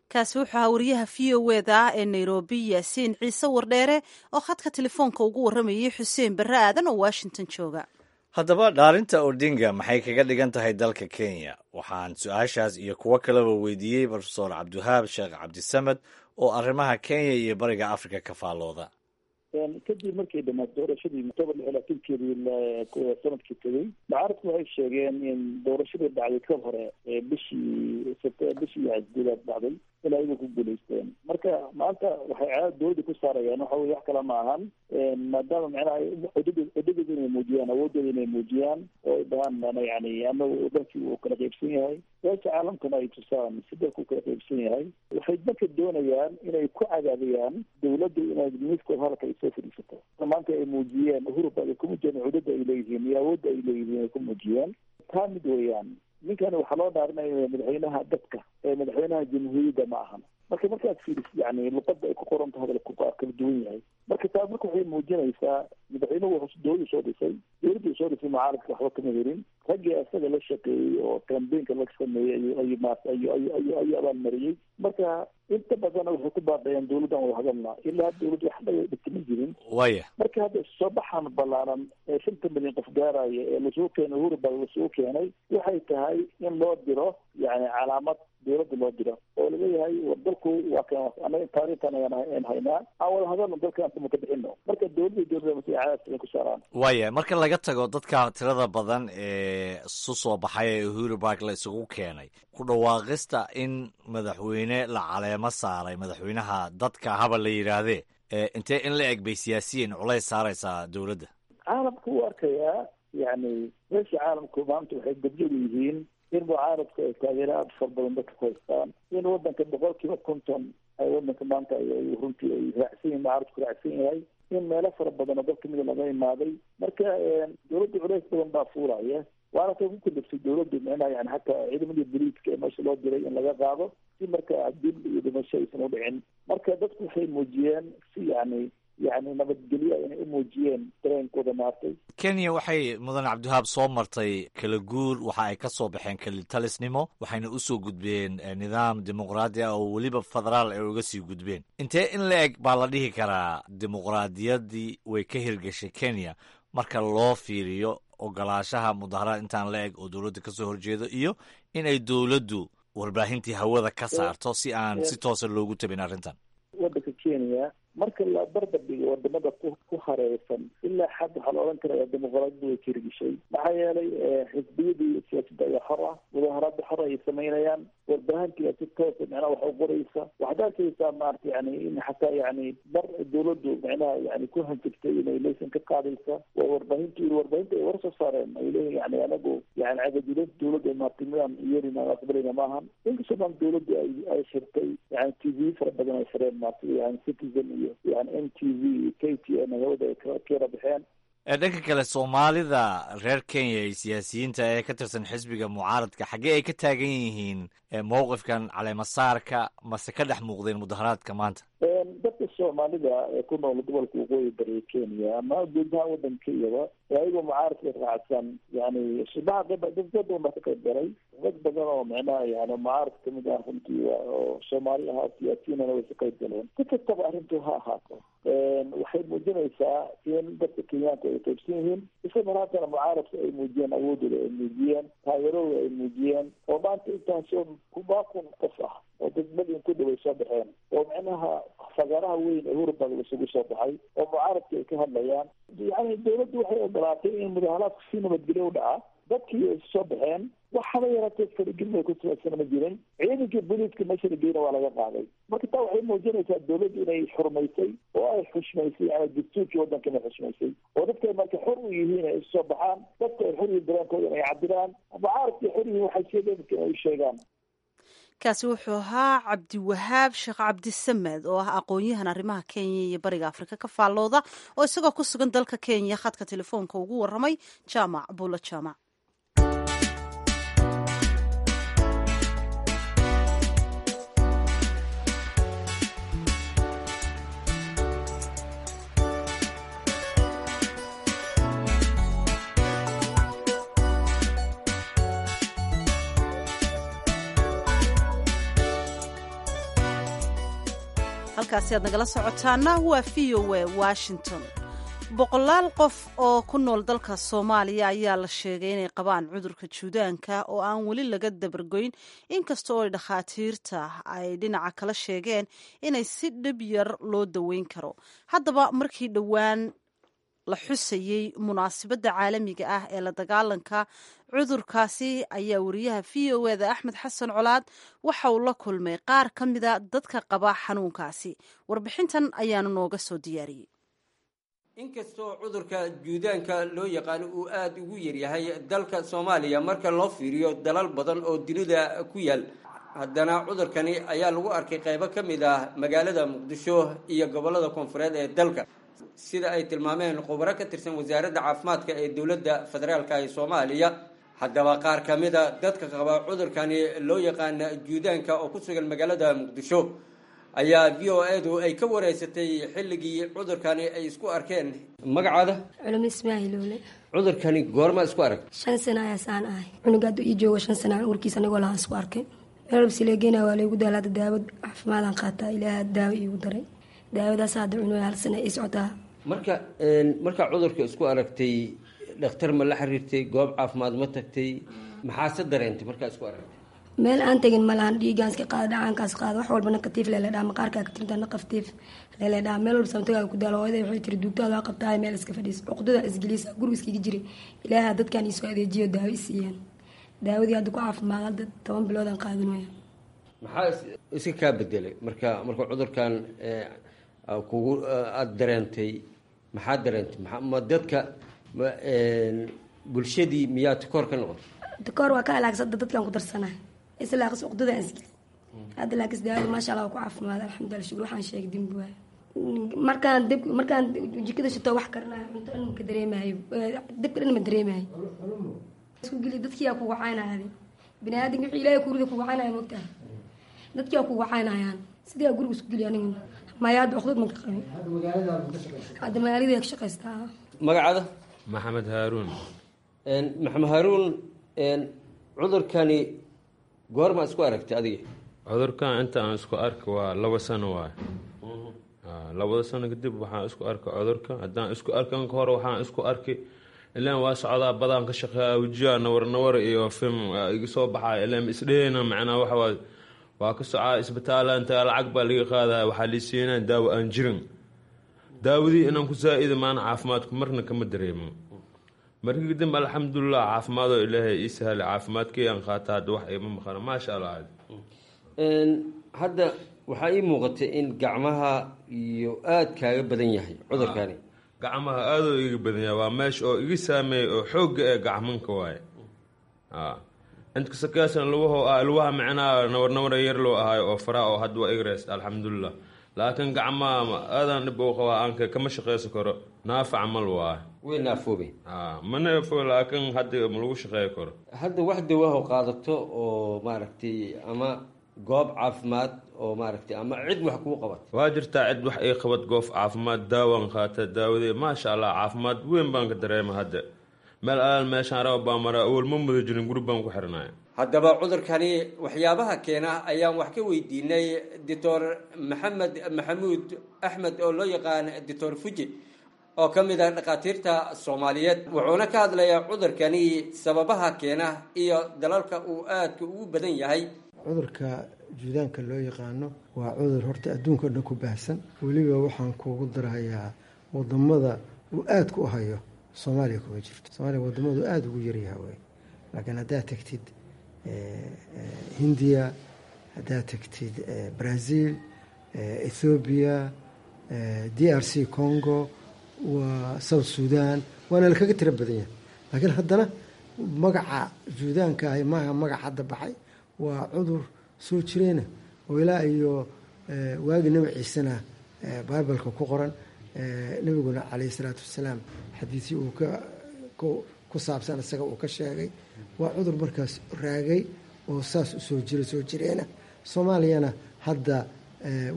Kaasi wuxuu ahaa wariyaha VOA da ee Nairobi, Yaasiin Ciise Wardheere, oo khadka telefoonka ugu warramayay Xuseen Barre Aadan oo Washington jooga. Haddaba, dhaarinta Odinga maxay kaga dhigan tahay dalka Kenya? Waxaan su-aashaas iyo kuwo kaleba weydiiyey Profesor Cabdiwahaab Sheekh Cabdisamed oo arrimaha Kenya iyo Bariga Africa ka faallooda. Kadib markay dhamaatay doorashadii October 26-keedii sanadkii tegey, mucaaradku waxay sheegeen in doorashadii dhacday ka hore bishii bishii gudaad dhacday in ayagu ku guulaysteen. Marka maanta waxay caada dowladda ku saarayaan waxa weye wax kale ma ahan, maadaama micnaha cudadooda inay muujiyaan, awoodooda inay muujiyaan, oo ay dhahaan yani anagu dalkii uu kala qaybsan yahay, beesha caalamkana ay tusaan si dalku kala qaybsan yahay. Waxay marka doonayaan inay ku cadaadiyaan dowladdu inay miiska hadalka ay soo fadhiisato. Maanta ay muujiyeen Uhuru ay ku muujiyeen cudada ay leeyihiin iyo awoodda ay leeyihiin ay ku muujiyeen. Taa mid weeyaan, ninkan waxaa loo dhaarinaya madaxweynaha dadka ee madaxweynaha jamhuuriyadda ma ahan. Marka markaad fiirisid yani luqadda ay ku qoran tahay hadalku kala duwan yahay. Marka taas marka waxay muujinaysaa madaxweynuhu wuxuu dowladdu soo dhisay, dowladdu soo dhisay mucaaradka waxba kama helin. Raggii isaga la shaqeeyey oo kambeynka la sameeyey ayuu maarata ayu ayu ayu ayuu abaalmariyey. Marka inta badanna waxay ku baaqayaan dowladdan wada hadalna, ilaa dowladdu wax dhaga dhigtama jirin. Waya marka hadda soo baxan ballaaran ee 5 milyan qof gaaraya ee lasoo keenay Uhuru Park lasoo keenay, waxay tahay in loo diro yani calaamad dowladda loo diro oo laleeyahay war dalku waa kan, anaga taariikhtan ayaan haynaa, aan wada hadalno, dalkaan kuma ka bixino. Marka dowladda dowladda cadaadis inay ku saaraan. Waaya, marka laga tago dadka tirada badan ee isu soo baxay ee Uhuru Park la isugu keenay, ku dhawaaqista in madaxweyne la caleemo saaray, madaxweynaha dadka haba la yidhaahdee, intee in la eg bay siyaasiyiin culays saaraysaa dowladda? Caalamku u arkayaa yani meesha caalamku maanta waxay gobjoog yihiin in mucaaradku ay taageero aada fara badan dadka ku haystaan, in wadanka 50% ay wadanka maanta ay runtii ay raacsan yihin, mucaaradku raacsan yahay, in meelo fara badan oo dad kamida laga imaaday. Marka dowladda culays badan baa fuulaya, waana tay ku kaliftay dowladdu micnaha yani hataa ciidamadii boliiska ee meesha loo diray in laga qaado si marka dil iyo dhimasho aysan u dhicin. Marka dadku waxay muujiyeen si yani nabadgelyo inay u muujiyeen dareenkooda maartay. Kenya waxay, mudan Cabdiwahaab, soo martay kala guur. Waxa ay ka soo baxeen kelitalisnimo, waxayna usoo gudbeen nidaam dimuqraadi ah oo weliba federaal ay uga sii gudbeen. Intee in la eg baa la dhihi karaa dimuqraadiyaddii way ka hirgashay Kenya marka loo fiiriyo ogolaashaha mudaharaad intaan la eg oo dowladda kasoo horjeedo iyo inay dowladdu warbaahintii hawada ka saarto si aan si toosa loogu tabin arrintan? Wadanka Kenya marka la barbar dhigo wadamada ku hareersan, ilaa xad waxaa la odhan karaya dimuqraadiyaddu way hirgishay. Maxaa yeelay xisbiyadii siyaasadda ayaa xor ah, mudaharaadda xor ayay samaynayaan, warbaahintii si toosa micnaha wax u qoraysa. Waxaad arkaysaa maarata yani in xataa yani mar dowladdu micnaha yani ku hanjabtay inay laysan ka qaadaysa waa warbaahintu, warbaahinta ay war soo saareen ay leeyihin yani anagu yani cagajilada dowladda maarata midaan yeelina aqbalayna maahan. Inkastoo maan dowladdu ay xirtay yani TV fara badan ay xireen maarata, yani Citizen iyo yani NTV, KTN hawada ay kala baxeen. Dhanka kale, Soomaalida reer Kenya iyo siyaasiyiinta ee ka tirsan xisbiga mucaaradka xaggee ay ka taagan yihiin mowqifkan caleemasaarka, mase ka dhex muuqdeen mudaharaadka maanta? Dadka Soomaalida ee ku nool gobolka waqooyi bari Kenya ama guud ahaan wadanka Kenyaba ayagoo mucaaradka raacsan, yani subaxa dad badan baa ka qayb galay. Dad badan oo micnaha yani mucaaradka kamid ah runtii oo Soomaali ahaa siyaasiyiinana way ka qayb galeen. Si kastaba arrintu ha ahaato, waxay muujinaysaa in dadka Kenyaanka ay qaybsan yihiin, isla mar haddana mucaaradka ay muujiyeen awoodooda, ay muujiyeen taageeradooda, ay muujiyeen oo maanta intaasoo kubaa kun qof ah oo dad milyan ku dhow ay soo baxeen oo micnaha fagaaraha weyn ee Uhuru Park isugu soo baxay oo mucaaradka ay ka hadlayaan. Yani dowladdu waxay ogolaatay in mudaharaadku si nabadgelyo u dhaca, dadkii ay soo baxeen, waxaba yaraatee faragelin ay ku samaysan ma jirin. Ciidankii booliiska meesha la geyna waa laga qaaday. Marka taa waxay muujinaysaa dowladdu inay xurmaysay oo ay xushmaysay yani dastuurkii waddanka inay xushmaysay oo dadka ay marka xor u yihiin ay isu soo baxaan, dadka ay xor yihiin dareenkooda inay cabiraan, mucaaradka ay xor yihiin waxay sheegeen dadka inay u sheegaan. Kaasi wuxuu ahaa Cabdiwahaab Sheekh Cabdisamed oo ah aqoon-yahan arrimaha Kenya iyo Bariga Afrika ka faallooda, oo isagoo ku sugan dalka Kenya khadka telefoonka ugu warramay Jaamac Buulo Jaamac. Halkaasi aad nagala socotaana waa VOA Washington. Boqolaal qof oo ku nool dalka Soomaaliya ayaa la sheegay inay qabaan cudurka juudaanka oo aan weli laga dabargoyn, inkasta oo dhakhaatiirta ay dhinaca kala sheegeen inay si dhib yar loo daweyn karo. Haddaba markii dhowaan la xusayey munaasabadda caalamiga ah ee la dagaalanka cudurkaasi ayaa wariyaha VOA da Axmed Xasan Colaad waxa uu la kulmay qaar ka mida dadka qaba xanuunkaasi. Warbixintan ayaanu nooga soo diyaariyey. Inkastoo cudurka juudaanka loo yaqaano uu aada ugu yaryahay dalka Soomaaliya marka loo fiiriyo dalal badan oo dunida ku yaal, haddana cudurkani ayaa lagu arkay qaybo ka mid ah magaalada Muqdisho iyo gobollada koonfureed ee dalka, sida ay tilmaameen khubaro ka tirsan wasaaradda caafimaadka ee dowladda federaalka ee Soomaaliya. Haddaba qaar ka mida dadka qaba cudurkani loo yaqaana juudaanka oo ku sugan magaalada Muqdisho Ayaa VOA-du ay ka wareysatay xilligii cudurkani ay isku arkeen. Magacaada? Culimo Ismaaciil Oole. Cudurkani goorma isku arag? 5 sano ayaa saan ahay. Cunuga hadduu ii joogo 5 sano urkiisa anigoo lahaan isku arkay. Meel walba sileegeyna waa laygu daala. Hadda daawo caafimaadaan qaataa. Ilaaha daawo iigu daray. Daawadaas hadda cunuga hal sano ii socotaa. Marka markaa cudurka isku aragtay, dhakhtar ma la xiriirtay? Goob caafimaad ma tagtay? Maxaase dareentay markaa isku aragtay? Meel aan tegin ma lahan. Dhiigaan iska qaada, dhacaankaas qaada, wax walba naqatiif leeledhaa, maqaarkaa ka tirintaa naqaftiif leeledhaa. Meel walba samtagaa ku daalo. Hooyaday waxay tiri, duugtaada waa qabtaay, meel iska fadhiis. Cuqdada isgeliisa, guriga iskaga jiray. Ilaaha dadkan iisoo adeejiyo, daawo i siiyeen. Daawadii hadda ku caafimaad. Hadda 10 biloodaan qaadanaya. Maxaa iska kaa bedelay marka cudurkan kugu aada dareentay? Maxaa dareentay? Ma dadka bulshadii miyaa takoor ka noqotay? Takoor waa ka alaagsan. Dadkan ku darsanahay islaaqis uqdada aan isgeli hadda, laakiin daawada maasha Allah waa ku caafimaad, alxamdulillah, shukur. Waxaan sheegay dembi waayo. Markaan dib, markaan jikada shito, wax karinayo, cunto dhan ka dareemayo, dabka dhan ma dareemayo. Isku geli, dadkii aa kugu caynaya. Bini aadamka wixii Ilaahay kurida kugu caynaya, moogtahay, dadkii aa kugu caynayaan. Sidii aa guriga isku geli aniga maya. Hadda uqdad ma ka qabin. Hadda magaalada ka shaqaystaa. Magacaada? Maxamed Haaruun. Maxamed Haaruun, cudurkani goorma isku aragtay adiga? Cudurkan inta aan isku arka waa 2 sano waay. 2da sano kadib waxaan isku arkay cudurka. Haddaan isku arkan ka hore waxaan isku arkay ilaan waa socdaa, badaan ka shaqeeya, wejiyaa nawar nawar iyo film iga soo baxaya. Ilaan isdheheyna macnaa waxa waa ka socaa isbitaala, inta lacag baa laga qaadaya, waxaa lii siinaa daawo aan jirin. Daawadii inaan ku saa-ida maana caafimaadku marna kama dareemo. Markii kadib alxamdulilah, caafimaadoo Ilaahay ii sahlay, caafimaadkii aan qaata. Hadda wax iima maqana, maasha Allah. Hadda waxaa ii muuqatay in gacmaha iyo aada kaaga badan yahay cudurkani. Gacmaha aadoo iga badan yahay. Waa meesha oo iga saameeyay oo xoogga ee gacmanka waaye. Inta kasakaasna lugaho ah, lugaha micnaha nawar nawar yar loo ahayo oo faraha oo hadda waa iga reysta, alxamdulilah. Laakiin gacmaha aadaan dhib u qabaa, aanka kama shaqeysan karo, naafa camal waa. Way naafoobeen? Ma naafo, laakiin hadda ma lagu shaqeey karo. Hadda wax dawaho qaadato oo maaragtay ama goob caafimaad oo maaragtay ama cid wax kuu qabat? Waa jirtaa cid wax ii qabad. Goof caafimaad daawaan qaata. Daawadee maasha Allah, caafimaad weyn baan ka dareema hadda. Meel alaal meeshaan raba baa maraa. Awal ma muda jirin, guri baan ku xirnay. Haddaba cudurkani waxyaabaha keena ayaan wax ka weydiinay Doctor Maxamed Maxamuud Axmed oo loo yaqaan Doctor Fuji, oo ka mid ah dhakhaatiirta Soomaaliyeed. Wuxuuna ka hadlayaa cudurkani sababaha keena iyo dalalka uu aadka ugu badan yahay. Cudurka juudaanka loo yaqaano waa cudur horta adduunka o dhan ku baahsan. Weliba waxaan kuugu darhayaa wadamada uu aadka u hayo Soomaaliya kuma jirto. Soomaaliya wadamadu aada ugu yaryaha wey, laakiin haddaad tagtid Hindiya, haddaad tagtid Brazil, Ethoobiya, DRC Congo, waa South Sudan, waana lakaga tiro badan yahay. Laakiin haddana magaca juudaanka ahi maaha magac hadda baxay. Waa cudur soo jireena oo ilaa iyo waagii Nabi Ciisena Bibleka ku qoran, nabiguna caleyhi isalaatu wasalaam xadiisii uu ku saabsan isaga uu ka sheegay. Waa cudur markaas raagay oo saas usoo jira, soo jireena. Soomaaliyana hadda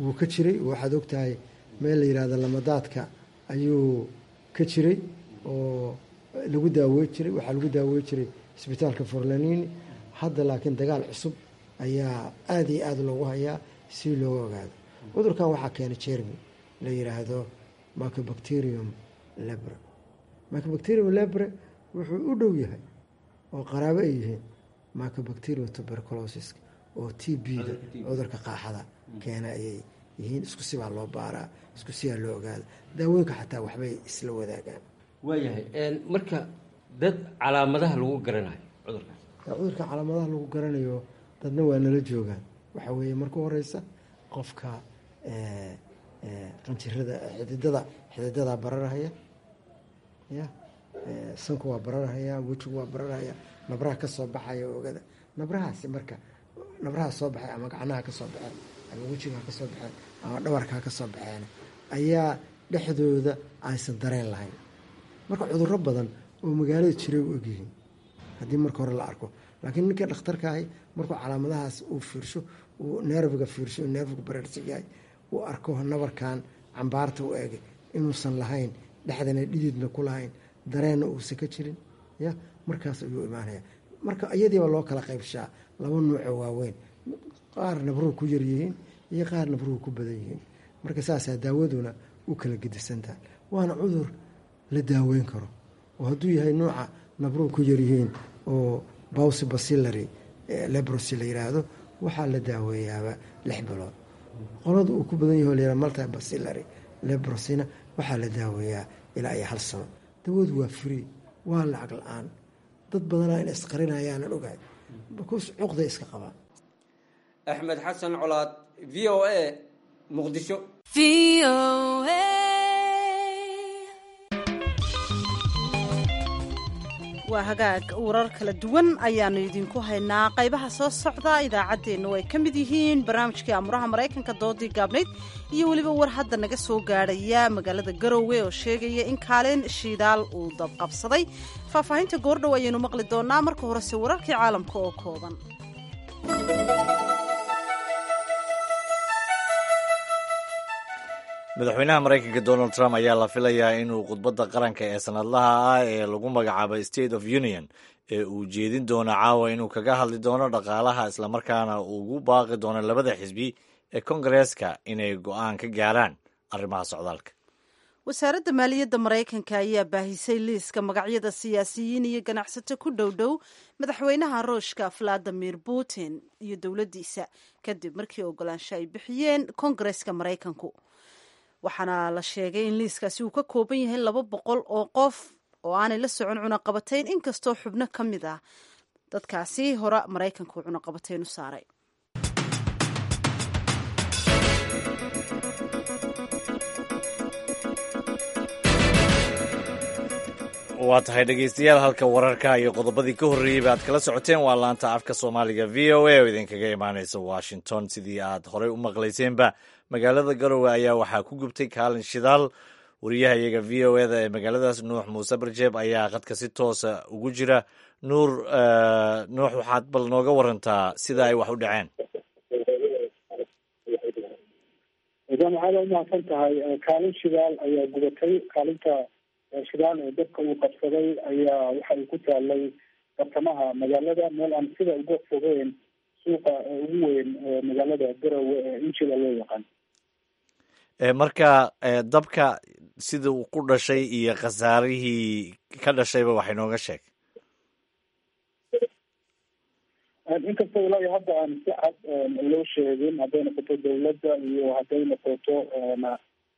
wuu ka jiray. Waxaad ogtahay meel la yihahdo Lamadaadka ayuu ka jiray oo lagu daawey jiray. Waxaa lagu daawey jiray isbitaalka Forlanini. Hadda laakiin dagaal cusub ayaa aada iyo aada loogu hayaa si looga ogaado. Cudurkan waxaa keenay jermi la yiraahdo Mycobacterium leprae. Mycobacterium leprae wuxuu u dhow yahay oo qaraabo ay yihiin Mycobacterium tuberculosis oo TB-da, cudurka qaaxada keena ayay yihiin. Isku sibaa loo baaraa, isku sibaa loo ogaada. Daawooyinka xataa waxbay isla wadaagaan. Waayahay, marka dad calaamadaha lagu garanayo cudurkaas? Cudurka calaamadaha lagu garanayo dadna waa nala joogaan. Waxaa weeye marka horeysa qofka qanjirada xididada bararahaya, ya sanku waa bararahaya, wejigu waa bararahaya, nabraha ka soo baxaya oogada. Nabrahaasi marka nabraha soo baxay ama gacnaha ka soo baxeen ama wejiga ha ka soo baxeen ama dhabarka ha ka soo baxeen ayaa dhexdooda aysan dareen lahayn. Marka cudurro badan oo magaalada jiray u egyihiin haddii marka hore la arko. Laakiin ninka dhakhtarka ahi markuu calaamadahaas uu fiirsho, uu nerviga fiirsho, nervigu bareersan yahay, uu arko nabarkan cambaarta u eg inuusan lahayn, dhexdana dhididna ku lahayn, dareenna uusan ka jirin, ya markaas ayuu imaanaya. Marka iyadiiba loo kala qaybshaa laba nuucoo waaweyn, qaar nabruhu ku yaryihiin iyo qaar nabruhu ku badan yihiin. Marka saasaa daawaduna u kala gedisantahay, waana cudur la daaweyn karo oo hadduu yahay nuuca nabruhu ku yaryihiin oo bawsi bacillary leprosy la yiraahdo, waxaa la daaweeyaaba 6 bilood. Qolada uu ku badan yaho la yiraahdo multi bacillary leprosyna waxaa la daaweeyaa ilaa iyo 1 sano. Dawadu waa free, waa lacag la-aan. Dad badanaa in isqarinayaanan ogahay because cuqday iska qabaan. Axmed Xasan Colaad, V O A, Muqdisho. Waa hagaag, warar kala duwan ayaanu idinku haynaa qaybaha soo socda idaacaddeennu, ay ka mid yihiin barnaamijkii amuraha Maraykanka, doodii gaabnayd iyo weliba war hadda naga soo gaadhaya magaalada Garowe oo sheegaya in kaalin shidaal uu dabqabsaday. Faahfaahinta goordhow ayaynu maqli doonaa. Marka horese wararkii caalamka oo kooban. Madaxweynaha Maraykanka Donald Trump ayaa la filayaa inuu khudbadda qaranka ee sanadlaha ah ee lagu magacaabo State of Union ee uu jeedin doono caawa inuu kaga hadli doono dhaqaalaha, islamarkaana ugu baaqi doono labada xisbi ee Kongareeska inay go'aan ka gaaraan arrimaha socdaalka. Wasaaradda maaliyadda Maraykanka ayaa baahisay liiska magacyada siyaasiyiin iyo ganacsato ku dhow dhow madaxweynaha Ruushka Valadimir Putin iyo dowladdiisa, kadib markii ogolaansho ay bixiyeen Kongareeska Maraykanku. Waxaana la sheegay in liiskaasi uu ka kooban yahay 200 oo qof oo aanay la socon cunaqabatayn, inkastoo xubno ka mid ah dadkaasi hore Maraykanka uu cunaqabatayn u saaray. Waa tahay dhegeystayaal, halka wararka iyo qodobadii ka horreeyey ba aad kala socoteen waa laanta afka Soomaaliga V O A oo idinkaga imaaneysa Washington. Sidii aad horey u maqlayseenba, magaalada Garowe ayaa waxaa ku gubtay kaalin shidaal. Wariyaha iyaga V O eda ee magaaladaas, Nuux Muuse Barjeeb, ayaa khadka si toosa ugu jira. Nuur, Nuux, waxaad bal nooga warantaa sida ay wax u dhaceen? Jaamacada, umahadsan tahay. Kaalin shidaal ayaa gubatay. Kaalinta shidaal ee dabka uu qabsaday ayaa waxa uu ku taalay bartamaha magaalada, meel aan sida uga fogeyn suuqa ugu weyn magaalada Garowe ee Injila loo yaqaan. Marka dabka sida uu ku dhashay iyo khasaarihii ka dhashayba wax inooga sheeg. Inkastoo ilaa iyo hadda aan si cad loo sheegin, hadday noqoto dawladda iyo hadday noqoto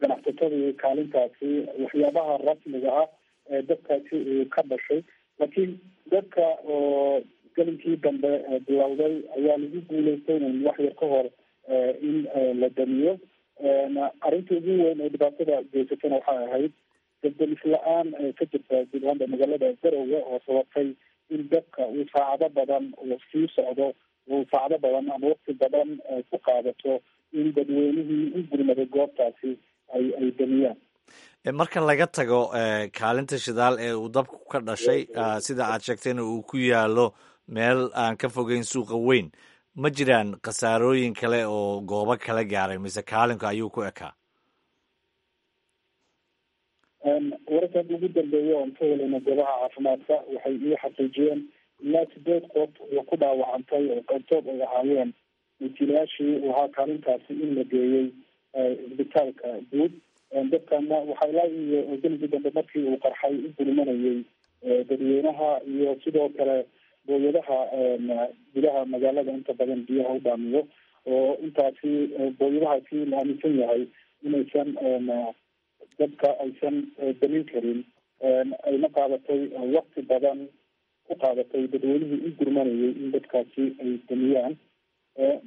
ganacsatadii kaalintaasi, waxyaabaha rasmiga ah ee dabkaasi uu ka dhashay, laakiin dadka oo gelinkii dambe bilowday ayaa lagu guuleystay in wax yar ka hor in la damiyo. Arrinta ugu weyn ee dhibaatada geysatana waxay ahayd dabdamis la-aan ka jirta guud ahaanba magaalada Garowe, oo sababtay in dabka uu saacado badan uu sii socdo, uu saacado badan ama waqti badan ku qaadato in dadweynihii u gurmaday goobtaasi ay damiyaan. Marka laga tago kaalinta shidaal ee uu dabku ka dhashay, sida aad sheegtayna uu ku yaalo meel aan ka fogeyn suuqa weyn, ma jiraan khasaarooyin kale oo goobo kala gaaray mise kaalinka ayuu ku ekaa? Wararka hadda ugu dambeeya oon ka helayna goobaha caafimaadka waxay ii xaqiijiyeen ilaa 8 qof oo ku dhaawacantay, oo qaybtood ay ahaayeen milkiilayaashii ahaa kaalintaasi, in la geeyey isbitaalka guud. Dadkana waxaa ilaa iyo geligii dambe markii uu qarxay u gurmanayay dadweynaha iyo sidoo kale booyadaha gudaha magaalada inta badan biyaha u dhaamiyo, oo intaasi booyadahaasi la aaminsan yahay inaysan dadka aysan damin karin, ayna qaadatay waqti badan ku qaadatay dadweynihii u gurmanayay in dadkaasi ay damiyaan.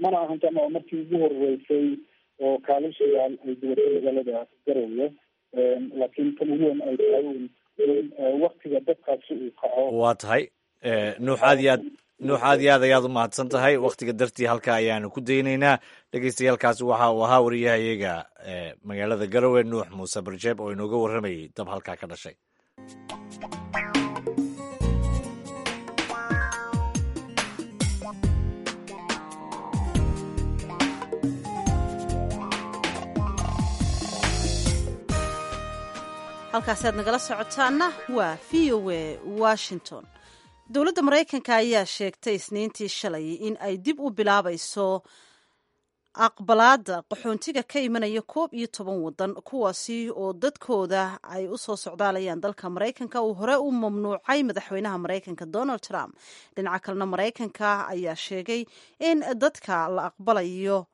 Mana ahan tan oo markii ugu horeysay oo kaalin shidaal ay gubatay magaalada Garowe, laakiin tan ugu weyn ay tahay in waktiga dadkaasi uu kaco. Waa tahay Nuux, aad iyo aad, Nuux, aad iyo aad ayaad u mahadsan tahay. Wakhtiga dartii halka ayaanu ku daynaynaa. Dhegeystayaaalkaasi waxa uu ahaa wariyahayaga magaalada Garowe, Nuux Muuse Barjeeb, oo inooga warramayay dab halkaa ka dhashay. Halkaasaad nagala socotaana waa V O A Washington. Dowladda Maraykanka ayaa sheegtay Isniintii shalay in ay dib u bilaabayso aqbalaada qaxoontiga ka imanaya 11 wadan, kuwaasi oo dadkooda ay u soo socdaalayaan dalka Maraykanka uu hore u mamnuucay madaxweynaha Maraykanka Donald Trump. Dhinaca kalena, Maraykanka ayaa sheegay in dadka la aqbalayo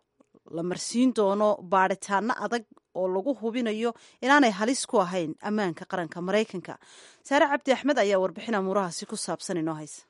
la marsiin doono baadhitaano adag oo lagu hubinayo inaanay halis ku ahayn ammaanka qaranka Maraykanka. Saare Cabdi Axmed ayaa warbixin amuurahaasi ku saabsan inoo haysa.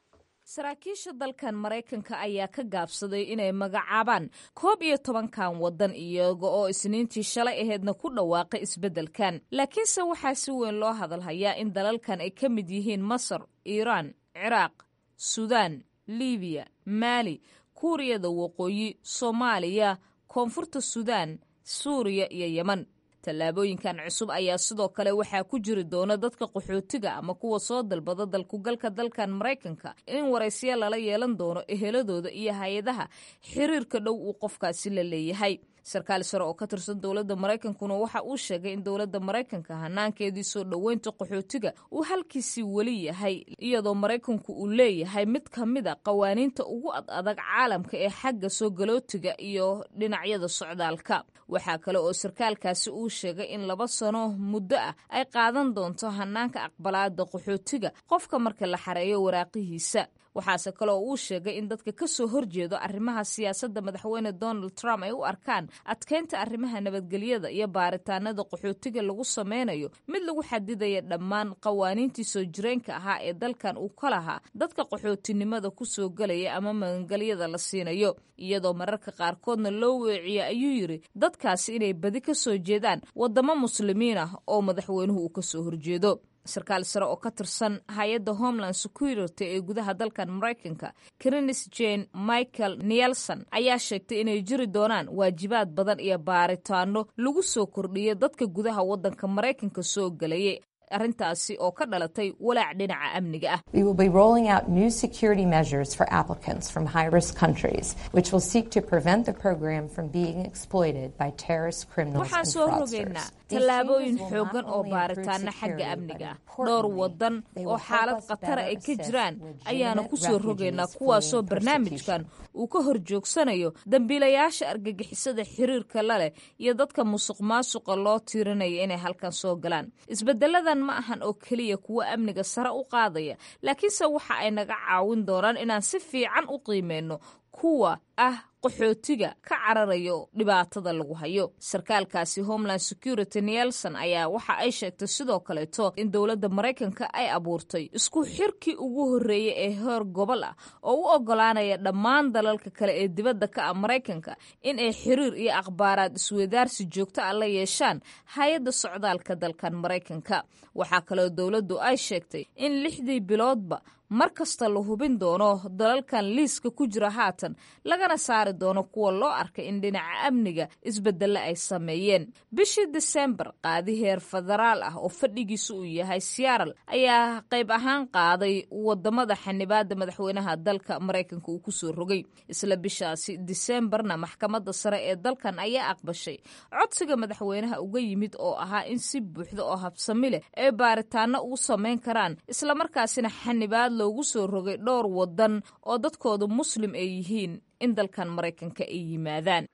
Saraakiisha dalkan Maraykanka ayaa ka gaabsaday inay magacaabaan 11-kan waddan, iyaga oo Isniintii shalay aheedna ku dhawaaqay isbeddelkan. Laakiinse waxaa si weyn loo hadalhayaa in dalalkan ay ka mid yihiin Masar, Iiraan, Ciraaq, Suudaan, Libiya, Maali, Kuuriyada Waqooyi, Soomaaliya, Koonfurta Suudaan, Suuriya iyo Yeman. Tallaabooyinkan cusub ayaa sidoo kale waxaa ku jiri doona dadka qaxootiga ama kuwa soo dalbada dalkugalka dalkan Maraykanka in waraysiya lala yeelan doono eheladooda iyo hay-adaha xiriirka dhow uu qofkaasi la leeyahay. Sarkaal sare oo ka tirsan dowladda Maraykankuna waxa uu sheegay in dowladda Maraykanka hanaankeedii soo dhoweynta qaxootiga uu halkiisii weli yahay, iyadoo Maraykanku uu leeyahay mid ka mid a qawaaniinta ugu ad adag caalamka ee xagga soo galootiga iyo dhinacyada socdaalka. Waxaa kale oo sarkaalkaasi uu sheegay in 2 sano muddo ah ay qaadan doonto hanaanka aqbalaada qaxootiga qofka marka la xareeyo waraaqihiisa. Waxaase kale oo uu sheegay in dadka ka soo horjeedo arrimaha siyaasadda madaxweyne Donald Trump ay u arkaan adkeynta arrimaha nabadgelyada iyo baaritaanada qaxootiga lagu sameynayo mid lagu xadidaya dhammaan qawaaniintii soo jireenka ahaa ee dalkan uu ka lahaa dadka qaxootinimada kusoo gelaya ama magangelyada la siinayo, iyadoo mararka qaarkoodna loo weeciyo, ayuu yidhi, dadkaasi inay badi ka soo jeedaan wadamo Muslimiin ah oo madaxweynuhu uu kasoo horjeedo. Sarkaal sare oo ka tirsan hay-adda Homeland Security ee gudaha dalkan Maraykanka, Krinis Jane Michael Nielson, ayaa sheegtay inay jiri doonaan waajibaad badan iyo baaritaano lagu soo kordhiyo dadka gudaha waddanka Maraykanka soo gelayay, arrintaasi oo ka dhalatay walaac dhinaca amniga ah. We will be rolling out new security measures for applicants from high-risk countries, which will seek to prevent the program from being exploited by terrorist criminals Waxaan and soo fraudsters. rogaynaa tallaabooyin xooggan oo baaritaana xagga amniga ah. Dhowr waddan oo xaalad khatara ay ka jiraan ayaana ku soo rogaynaa, kuwaasoo barnaamijkan uu ka hor joogsanayo dambiilayaasha argagixisada xiriirka la leh iyo dadka musuq maasuqa loo tiirinaya inay halkan soo galaan. Isbedeladan ma ahan oo keliya kuwo amniga sare u qaadaya, laakiinse waxa ay naga caawin doonaan inaan si fiican u qiimeyno kuwa ah qaxootiga ka cararayo dhibaatada lagu hayo. Sarkaalkaasi Homeland Security Nielson ayaa waxa ay sheegtay sidoo kaleeto in dowladda Maraykanka ay abuurtay isku xirkii ugu horreeyey ee heer gobol ah oo u ogolaanaya dhammaan dalalka kale ee dibadda ka ah Maraykanka in ay xiriir iyo akhbaaraad isweydaarsi joogto ah la yeeshaan hay-adda socdaalka dalkan Maraykanka. Waxaa kaloo dowladdu ay sheegtay in lixdii biloodba mar kasta la hubin doono dalalkan liiska ku jira haatan, lagana saari doono kuwa loo arkay in dhinaca amniga isbedelle ay sameeyeen. Bishii Disembar, qaadi heer federaal ah oo fadhigiisu uu yahay Seattle ayaa qayb ahaan qaaday wadamada xanibaada madaxweynaha dalka Maraykanka uu kusoo rogay. Isla bishaasi Disembarna, maxkamadda sare ee dalkan ayaa aqbashay codsiga madaxweynaha uga yimid oo ahaa in si buuxda oo habsami leh ay baaritaano ugu sameyn karaan, islamarkaasina xanibaad loogu soo rogay dhowr wadan oo dadkoodu Muslim ay yihiin in dalkan Maraykanka ay yimaadaan.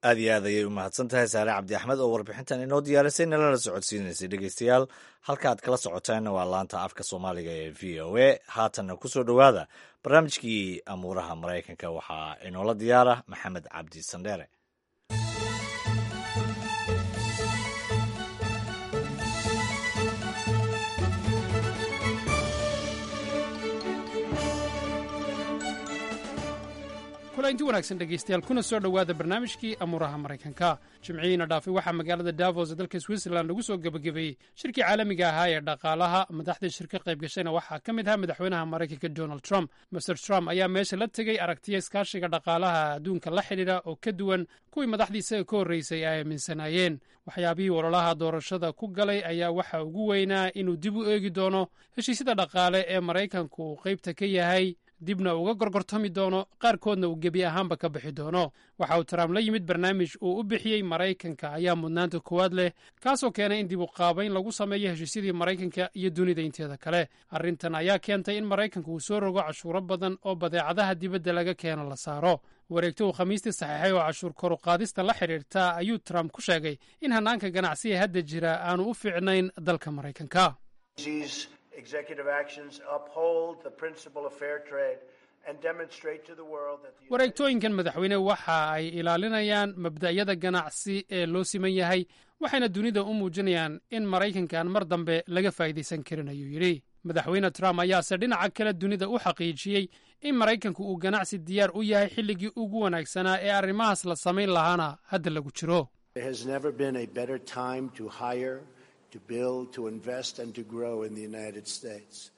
Aad iyo aad ayay u mahadsan tahay Saare Cabdi Axmed oo warbixintan inoo diyaarisay nalana socodsiinaysay. Dhegeystayaal, halka aad kala socotaanna waa laanta afka Soomaaliga ee VOA. Haatanna kusoo dhowaada barnaamijkii amuuraha Maraykanka. Waxaa inoola diyaara Maxamed Cabdi Sandheere. Kulanti wanaagsan dhegaystayaal, kuna soo dhowaada barnaamijkii amuuraha Maraykanka. Jimcihiina dhaafay waxaa magaalada Davos ee dalka Switzerland lagu soo gebagabeeyey shirkii caalamiga ahaa ee dhaqaalaha. Madaxdii shirka qayb gashayna waxaa ka mid ahaa madaxweynaha Maraykanka Donald Trump. Master Trump ayaa meesha la tegey aragtiya iskaashiga dhaqaalaha adduunka la xidhiidha oo ka duwan kuwii madaxdiisa ka horreysay ay aaminsanaayeen. Waxyaabihii ololaha doorashada ku galay ayaa waxa ugu weynaa inuu dib u eegi doono heshiisyada dhaqaale ee Maraykanku uu qaybta ka yahay. Dibna uga gorgortami doono, qaarkoodna uu gebi ahaanba ka bixi doono. Waxa uu Trump la yimid barnaamij uu u bixiyey "Maraykanka ayaa mudnaanta koowaad leh", kaasoo keenay in dib u qaabayn lagu sameeyo heshiisyadii Maraykanka iyo dunida inteeda kale. Arrintan ayaa keentay in Maraykanka uu soo rogo cashuuro badan oo badeecadaha dibadda laga keeno la saaro. Wareegto uu Khamiistii saxeexay oo cashuur koru qaadista la xidhiirta ayuu Trump ku sheegay in hannaanka ganacsiga hadda jira aanu u fiicnayn dalka Maraykanka. These executive actions uphold the principle of fair trade and demonstrate to the world that the Wareegtooyinkan madaxweyne waxa ay ilaalinayaan mabda'yada ganacsi ee loo siman yahay, waxayna dunida u muujinayaan in Maraykanka aan mar dambe laga faa'iidaysan karin, ayuu yidhi. Madaxweyne Trump ayaase dhinaca kale dunida u xaqiijiyey in Maraykanku uu ganacsi diyaar u yahay, xilligii ugu wanaagsanaa ee arrimahaas la samayn lahaana hadda lagu jiro. There has never been a better time to hire, to build, to invest, and to grow in the United States.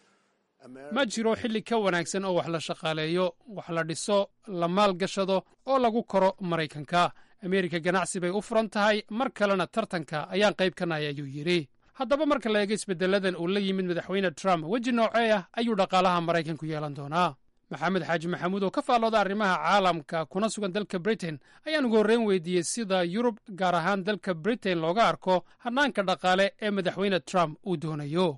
Ma jiro xilli ka wanaagsan oo wax la shaqaaleeyo, wax la dhiso, la maalgashado oo lagu koro Maraykanka. Ameerika ganacsi bay u furan tahay, mar kalena tartanka ayaan qayb ka nahay, ayuu yidhi. Haddaba, marka la eego isbeddeladan uu la yimid madaxweyne Trump, weji noocee ah ayuu dhaqaalaha Maraykanku yeelan doonaa? Maxamed Xaaji Maxamuud oo ka faallooda arrimaha caalamka kuna sugan dalka Britain ayaan ugu horreyn weydiiyey sida Yurub, gaar ahaan dalka Britain, looga arko hannaanka dhaqaale ee madaxweyne Trump uu doonayo.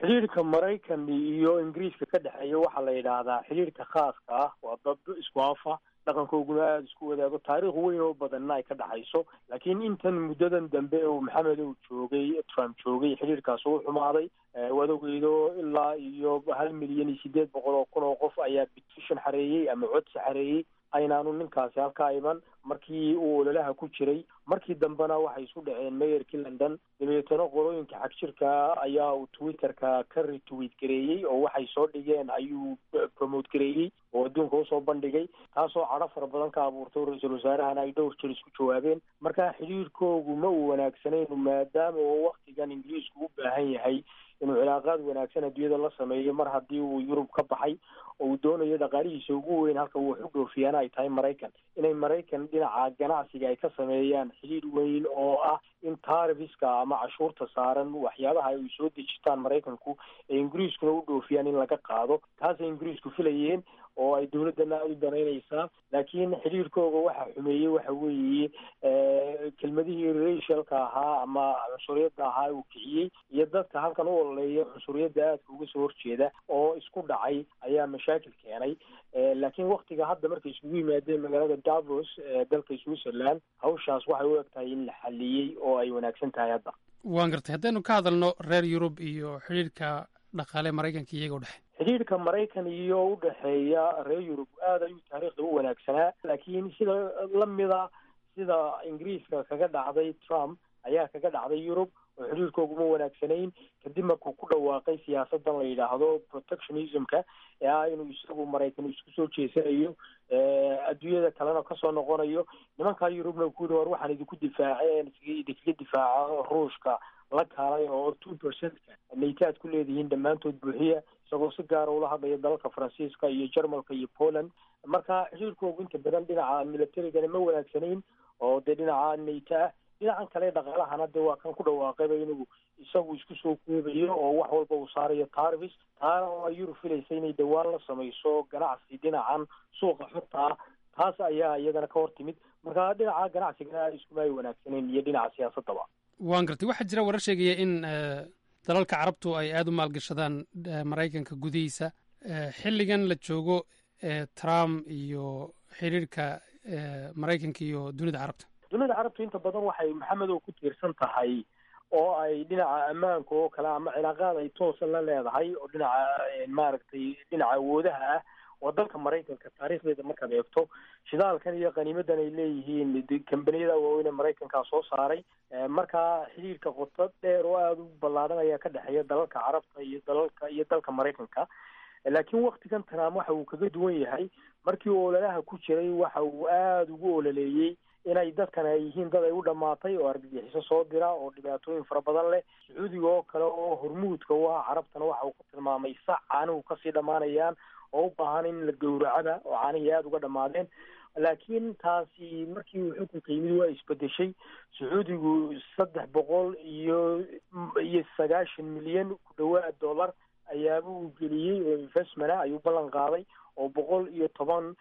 Xidhiirka Maraykan iyo Ingiriiska ka dhexeeya waxaa la yidhaahdaa xidhiirka khaaska ah. Waa dad isku afa, dhaqankooguna aada isku wadaago, taariikh weyn oo badanna ay ka dhexayso. Laakiin intan muddadan dambe uu Maxamed uu joogay, Trump joogay, xidhiirkaas uu xumaaday. Waad ogeydo, ilaa iyo 1,800,000 oo qof ayaa petition xareeyey ama codsi xareeyey aynaanu ninkaasi halkaa iman markii uu ololaha ku jiray. Markii dambena waxay isku dhaceen mayorkii London. Dabeetana qolooyinka xagjirka ayaa uu Twitterka ka retweet gareeyey oo waxay soo dhigeen ayuu promote gareeyey oo adduunka usoo bandhigay, taasoo cadho fara badan ka abuurtay. Ra-iisul wasaarahana ay dhowr jir isku jawaabeen. Marka xidhiirkoogu ma uu wanaagsanayn, maadaama oo waktigan Ingiriisku u baahan yahay inuu cilaaqaad wanaagsan adduunyada la sameeyo, mar haddii uu Yurub ka baxay oo uu doonayo dhaqaalihiisa ugu weyn halka uu wax u dhoofiyaana ay tahay Maraykan, inay Maraykan dhinaca ganacsiga ay ka sameeyaan xidhiir weyn oo ah in tariffska ama cashuurta saaran waxyaabaha ay soo dejitaan Maraykanku ee Ingiriiskuna u dhoofiyaan in laga qaado. Taasay Ingiriisku filayeen oo ay dowladdana aada u danaynaysaa. Laakiin xidhiirkooga waxa xumeeyey waxa weeye kelmadihii racialka ahaa ama cunsuriyadda ahaa uu kiciyey iyo dadka halkan u ololeeya cunsuriyadda aadka uga soo horjeeda oo isku dhacay ayaa mashaakil keenay. Laakiin waktiga hadda markay isugu yimaadeen magaalada Davos ee dalka Switzerland, hawshaas waxay u eg tahay in la xaliyey oo ay wanaagsan tahay hadda. Waan gartay. Haddaynu ka hadalno reer Yurub iyo xidhiirka dhaqaale Maraykanka iyaga u dhexe. Xidhiirka Maraykan iyo u dhexeeya reer Yurub aad ayuu taariikhda u wanaagsanaa, laakiin sida lamida sida Ingiriiska kaga dhacday Trump ayaa kaga dhacday Yurub oo xidhiirkooguma wanaagsanayn, kadib markuu ku dhawaaqay siyaasadan la yidhaahdo protectionismka ee ah inuu isagu Maraykan isku soo jeesanayo, adduunyada kalena kasoo noqonayo. Nimankaa Yurubna ku yidhi, "War waxaan idinku difaaceen, idinkaga difaaca Ruushka la kaalay oo 2%-ka NATO aad ku leedihiin dhammaantood buuxiya," isagoo si gaara ula hadlaya dalalka Faransiiska iyo Jarmalka iyo Poland. Marka xidhiirkoogu inta badan dhinaca militarigana ma wanaagsanayn oo dee dhinaca NATO ah. Dhinacan kale dhaqaalahana dee waa kan ku dhawaaqayba inuu isagu isku soo koobayo oo wax walba uu saarayo tariffs, taana oo ay Yurub filaysa inay dhowaan la samayso ganacsi dhinacan suuqa xorta ah. Taas ayaa iyadana ka hor timid. Marka dhinaca ganacsigana iskuma ay wanaagsanayn iyo dhinaca siyaasadaba. Waan gartay. Waxaa jira warar sheegaya in dalalka Carabtu ay aada u maalgashadaan Maraykanka gudihiisa xilligan la joogo Trump iyo xiriirka Maraykanka iyo dunida Carabta. Dunida Carabtu inta badan waxay, Maxamed, oo ku tiirsan tahay oo ay dhinaca ammaanka oo kale ama cilaaqaad ay toosa la leedahay oo dhinaca maaragtay dhinaca awoodaha ah waa dalka Maraykanka. Taariikhdeeda markaad eegto, shidaalkan iyo qaniimadan ay leeyihiin kambaniyada waaweyn ee Maraykankaa soo saaray. Markaa xidhiirka qoto dheer oo aada u ballaaran ayaa ka dhexeeya dalalka Carabta iyo dalalka iyo dalka Maraykanka. Laakiin waktigan Trump waxa uu kaga duwan yahay, markii uu ololaha ku jiray waxa uu aada ugu ololeeyey inay dadkan ay yihiin dad ay u dhammaatay oo argagixiso soo dira oo dhibaatooyin fara badan leh. Sacuudiga oo kale oo hormuudka u ah Carabtana waxa uu ku tilmaamay sac caanuhu kasii dhammaanayaan oo u baahan in la gowracaba oo caanihii aada uga dhammaadeen. Laakiin taasi markii uu xukunka yimid waa isbedeshay. Sacuudigu 390 milyan ku dhawaad dollar ayaaba uu geliyey oo investment ah ayuu ballan qaaday, oo 110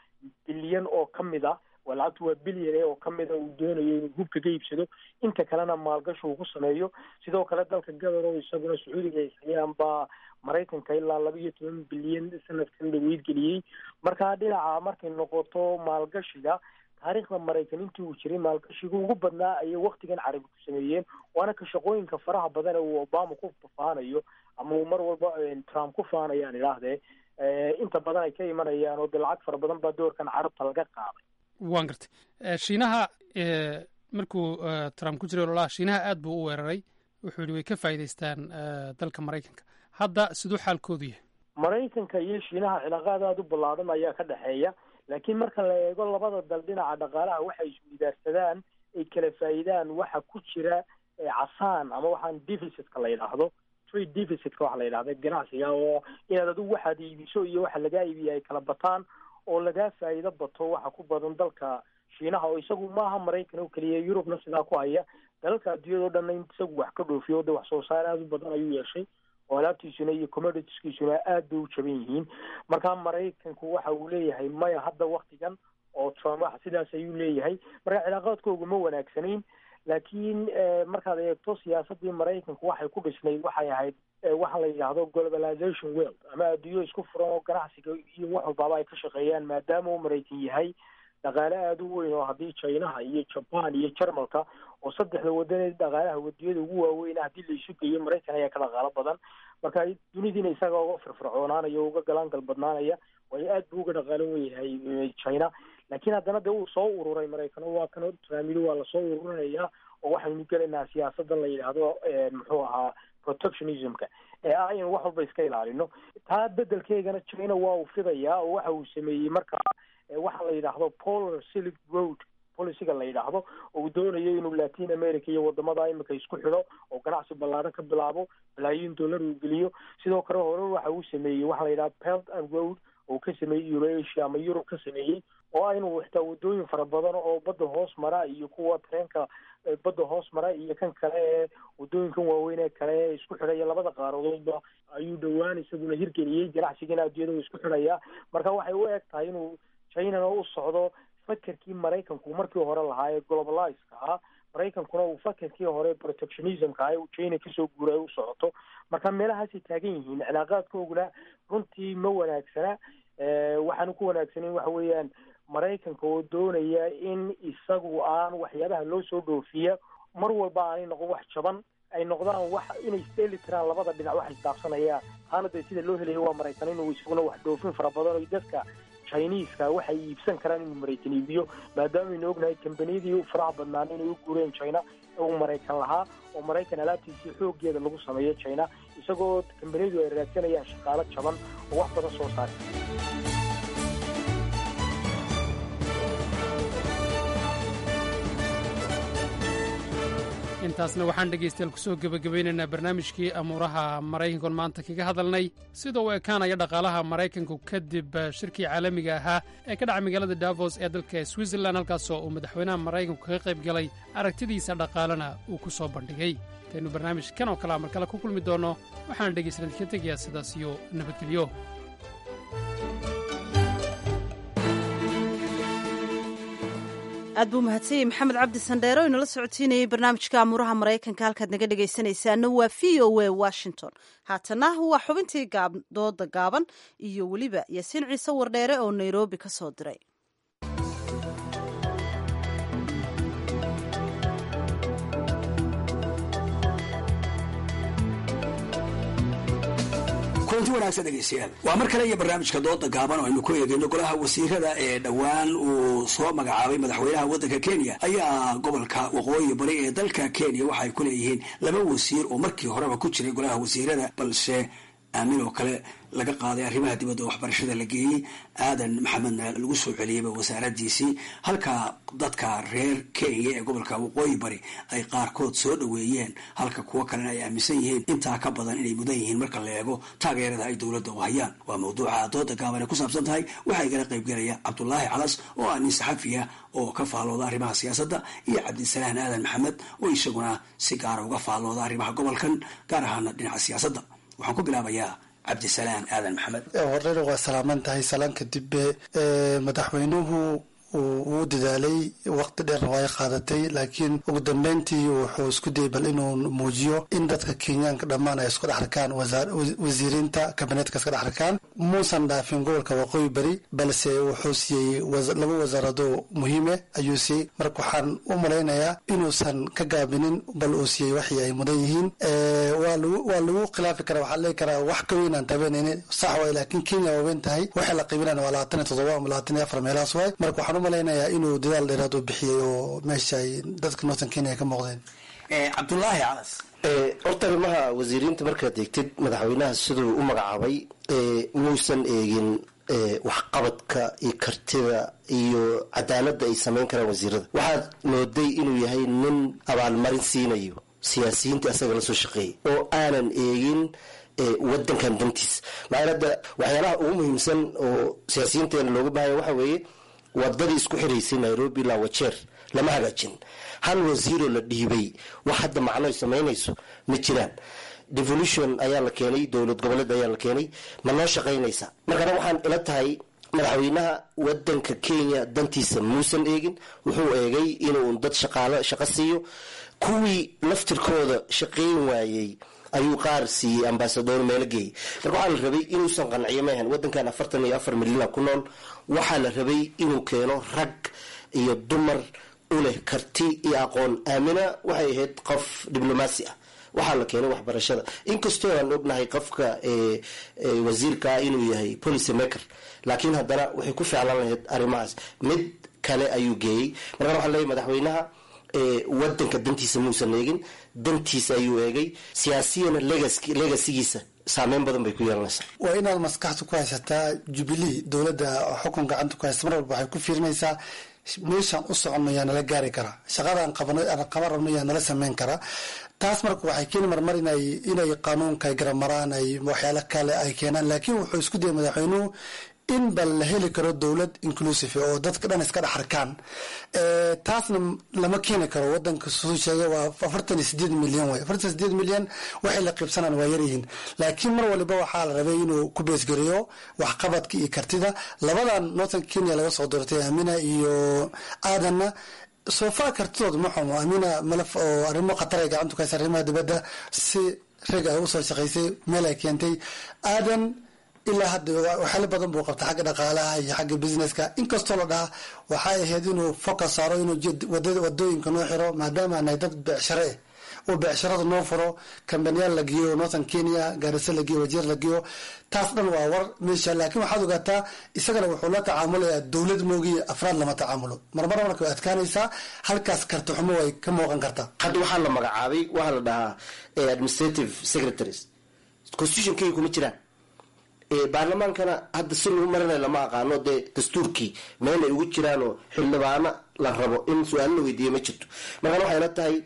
bilyan oo ka mid ah, waa lacagtu waa bilyan oo ka mid a, uu doonayo inuu hubka ka iibsado, inta kalena maalgashi uu ku sameeyo. Sidoo kale dalka Qatar oo isaguna Sacuudiga ay hayaan baa Maraykanka ilaa 12 bilyan sanadkan dhaweyd geliyey. Marka dhinaca markay noqoto maalgashiga, taariikhda Maraykan intii uu jiray maalgashiga ugu badnaa ayay waktigan Carabi ku sameeyeen, waana ka shaqooyinka faraha badan ee uu Obama ku faanayo ama uu mar walba Trump ku faanayaan idhaahdee, inta badan ay ka imanayaan, oo de lacag fara badan baa doorkan Carabta laga qaaday. Waan gartay. Shiinaha markuu Trump ku jiray ololaha, Shiinaha aad buu u weeraray, wuxuu yidhi way ka faa'iidaystaan dalka Maraykanka. Hadda siduu xaalkoodu yahay? Maraykanka iyo Shiinaha cilaaqaad aada u ballaadhan ayaa ka dhexeeya, laakiin marka la eego labada dal dhinaca dhaqaalaha waxay isweydaarsadaan ay kala faa'iidaan, waxa ku jira casaan ama waxaan deficitka la yidhaahdo, trade deficitka waxa la yidhahda ganacsiga, oo inaad adigu waxaad iibiso iyo waxa lagaa iibiya ay kala bataan oo lagaa faa'iido bato, waxa ku badan dalka Shiinaha, oo isagu maaha Maraykan oo keliya, Yurubna sidaa ku haya, dalalka adduunyada o dhanna in isagu wax ka dhoofiyo, de wax soo saar aada u badan ayuu yeeshay, oo alaabtiisuna iyo commoditieskiisuna aad bay u jaban yihiin. Marka Maraykanku waxa uu leeyahay maya hadda waktigan, oo Trump wax sidaas ayuu leeyahay. Marka cilaaqaadkoogu ma wanaagsanayn, laakiin markaad eegto siyaasadii Maraykanku waxay ku dhisnayd waxay ahayd waxa la yidhaahdo globalization world, ama adduunyo isku furan oo ganacsiga iyo wax walbaaba ay ka shaqeeyaan, maadaama uu Maraykan yahay dhaqaale aada u weyn, oo haddii Chinaha iyo Jaban iyo Jarmalka oo saddexda wadanee dhaqaalaha wadiyada ugu waaweyna haddii la isu geeyo, Maraykan ayaa ka dhaqaalo badan. Marka dunidiina isaga uga firfircoonaanaya, uga galaangal badnaanaya, waayo aad buu uga dhaqaalo weyahay China. Laakiin haddana dee uu soo ururay Maraykan, oo waa kan Trump yidhi waa lasoo ururinayaa, oo waxaynu gelaynaa siyaasadan la yidhaahdo muxuu ahaa protectionismka ee ah in wax walba iska ilaalino. Taa bedelkeygana China waa uu fidayaa, oo waxa uu sameeyey markaa waxa la yidhaahdo Polar Silk Road policyga la yidhaahdo, oo uu doonayo inuu Latin America iyo wadamada imika isku xidho oo ganacsi ballaaran ka bilaabo, balaayiin dollar uu geliyo. Sidoo kale hore waxa uu sameeyey waxa la yidhahdo Belt and Road oo ka sameeyey Eurasia ama Europe ka sameeyey, oo ah inuu xitaa wadooyin fara badan oo badda hoos mara iyo kuwa tareenka badda hoos mara iyo kan kale ee wadooyinkan waaweyn ee kale ee isku xidhaya labada qaaradoodba ayuu dhowaan isaguna hirgeliyey. Ganacsigana adduunyada uu isku xidhayaa. Marka waxay u eg tahay inuu Chinana u socdo fakerkii Maraykanku markii hore lahaa ee globalizeka ahaa, Maraykankuna uu fakerkii hore protectionismka ah uu China kasoo guuray u socoto. Marka meelahaasay taagan yihiin, cilaaqaadkooguna runtii ma wanaagsana. Waxaanu ku wanaagsanayn waxa weeyaan Maraykanka oo doonaya in isagu aan waxyaabaha loo soo dhoofiya mar walba aanay noqon wax jaban, ay noqdaan wax inay isdheeli tiraan labada dhinac wax isdaafsanayaan. Taana dee sida loo helayo waa Maraykan inuu isaguna wax dhoofin fara badan oo dadka Chiniiska waxay iibsan karaan inuu Maraykan iibiyo, maadaama aynu ognahay kambaniyadii faraha badnaan inay u guureen China ee uu Maraykan lahaa, oo Maraykan alaabtiisii xooggeeda lagu sameeyo China, isagoo kambaniyadu ay raadsanayaan shaqaalo jaban oo wax badan soo saara. Intaasna waxaan dhegaystayaal kusoo gebagabaynaynaa barnaamijkii amuuraha Maraykankoon maanta kaga hadalnay sida uu ekaanaya dhaqaalaha Maraykanku kadib shirkii caalamiga ahaa ee ka dhacay magaalada Davos ee dalka Switzerland, halkaasoo uu madaxweynaha Maraykanku kaga qayb galay, aragtidiisa dhaqaalena uu ku soo bandhigay. Intaynu barnaamijkan oo kalea mar kale ku kulmi doonno, waxaan dhegaystayaal idinka tegayaa sidaas iyo nabadgelyo. Aad buu mahadsanyay Maxamed Cabdi Sandheere oo inala socotiinayay barnaamijka amuuraha Maraykanka. Halkaad naga dhegaysanaysaana waa VOA Washington. Haatana waa xubintii dooda gaaban iyo weliba Yaasiin Ciise Wardheere oo Nairobi ka soo diray. Kulanti wanaagsan dhegeystayaal, waa mar kale iyo barnaamijka dooda gaaban oo aynu ku eegayno golaha wasiirada ee dhowaan uu soo magacaabay madaxweynaha waddanka Kenya. Ayaa gobolka waqooyi bari ee dalka Kenya waxay ku leeyihiin laba wasiir oo markii horeba ku jiray golaha wasiirada, balse aamin oo kale laga qaaday arrimaha dibadda waxbarashada la geeyey, Aadan Maxamedna lagu soo celiyeyba wasaaradiisii, halka dadka reer Kenya ee gobolka waqooyi bari ay qaarkood soo dhoweeyeen, halka kuwo kalena ay aaminsan yihiin intaa ka badan inay mudan yihiin marka la eego taageerada ay dowladda u hayaan. Waa mawduuca dooda gaaban ay ku saabsan tahay. Waxaa igala qaybgelaya Cabdulaahi Calas oo ah nin saxafiya oo ka faallooda arrimaha siyaasadda, iyo Cabdisalaan Aadan Maxamed oo isaguna si gaara uga faallooda arrimaha gobolkan, gaar ahaana dhinaca siyaasadda. Waxaan ku bilaabayaa Cabdisalaan Aadan Maxamed. Horeyna waa salaaman tahay. Salaan kadib, madaxweynuhu wuu dadaalay, waqti dheerna waa ay qaadatay, laakiin ugu dambeyntii wuxuu isku dayay bal inuu muujiyo in dadka Kenyaanka dhammaan ay isku dhex arkaan, wasiiriinta kabineetka iska dhex arkaan. Muusan dhaafin gobolka Waqooyi Bari, balse wuxuu siiyey laba wasaarado muhiime ayuu siiyey. Marka waxaan u malaynayaa inuusan ka gaabinin, bal uu siiyey waxii ay mudan yihiin. Waa lagu khilaafi karaa, waxaa leegi karaa wax ka weyn aan tabanaynin, sax waay, laakiin Kenya waa weyn tahay. Waxay la qiibinayna waa 27 ama 24 meelahaas waay. Marka waxaan u malaynayaa inuu dadaal dheeraad uu bixiyey oo meesha ay dadka Northern Kenya ka muuqdeen. Cabdulaahi Calas. Horta arrimaha wasiiriinta markaad eegtid, madaxweynaha siduu u magacaabay muusan eegin waxqabadka iyo kartida iyo cadaaladda ay samayn karaan wasiirada. Waxaad mooday inuu yahay nin abaalmarin siinayo siyaasiyiinta asaga la soo shaqeeyay oo aanan eegin wadankan dantiis. Maxaa hadda waxyaalaha ugu muhiimsan oo siyaasiyiinteena looga baahaya waxa weeye wadadii isku xiraysay Nairobi ilaa Wajeer lama hagaajin. Hal wasiiroo la dhiibay wax hadda macno ay samaynayso ma jiraan. Devolution ayaa la keenay, dowlad goboleed ayaa la keenay, ma noo shaqaynaysa? Markana waxaan ila tahay madaxweynaha wadanka Kenya dantiisa muusan eegin. Wuxuu eegay inuu dad shaqaalo shaqo siiyo. Kuwii laftirkooda shaqayn waayey ayuu qaar siiyey ambasador, meelo geeyey. Marka waxaa la rabay inuusan qanciyo maahan wadankan 44 milyana ku nool. Waxaa la rabay inuu keeno rag iyo dumar u leh karti iyo aqoon. Aamina waxay ahayd qof diblomaasi ah, waxaa la keenay waxbarashada. Inkastoo aan ognahay qofka wasiirkaa inuu yahay policy maker, laakiin haddana waxay ku ficlaan lahayd arrimahaas. Mid kale ayuu geeyey. Markaan waxaa leeyahy madaxweynaha wadanka dantiisa muusan eegin, dantiisa ayuu eegay. Siyaasiyana legacygiisa saameyn badan bay ku yeelanaysaa. Waa inaad maskaxda ku haysataa Jubilee, dowladda xukun gacanta ku haysta, mar walba waxay ku fiirinaysaa meeshaan u soconno yaa nala gaari karaa, shaqadaan qaban rabno yaa nala sameyn karaa. Taas marka waxay keeni marmar inay qaanuunka ay garamaraan, ay waxyaalo kale ay keenaan. Laakiin wuxuu isku dayay madaxweynuhu in bal la heli karo dowlad inclusive oo dadka dhan iska dhex arkaan. Taasna lama keeni karo. Wadanka suu sheegay waa 48 milyan way. 48 milyan waxay la qiibsanaan waa yaryihiin, laakiin mar waliba waxaa la rabay inuu ku beesgareeyo waxqabadka iyo kartida labadan Northern Kenya laga soo doortay, Amina iyo Aadanna. So far kartidooda ma xumo. Amina malaf oo arrimo khatar ay gacanta ku haysa, arrimaha dibadda si rag ay usoo shaqaysay, meel ay keentay. Aadan ilaa hadda waxyaalo badan buu qabta xagga dhaqaalaha iyo xagga businesska, inkastoo la dhaha waxay ahayd inuu focus saaro inuu wadooyinka noo xiro, maadaama nahay dad becshare eh, oo becsharada noo furo, kambaniyaal la geeyo Northern Kenya, Gaarisa la geeyo, Wajeer la geeyo. Taas dhan waa war meesha, laakiin waxaad ogaataa isagana wuxuu la tacaamulayaa dowlad moogiya, afraad lama tacaamulo. Marmar marka way adkaanaysaa, halkaas karti xumo way ka muuqan kartaa. Hadda waxaa la magacaabay waxaa la dhahaa administrative secretaries, constitutionkayga kuma jiraan. Baarlamaankana hadda si lagu marinayo lama aqaano. Dee dastuurkii meel ay ugu jiraanoo xildhibaano la rabo in su-aalo la weydiiyo ma jirto. Markaan waxay la tahay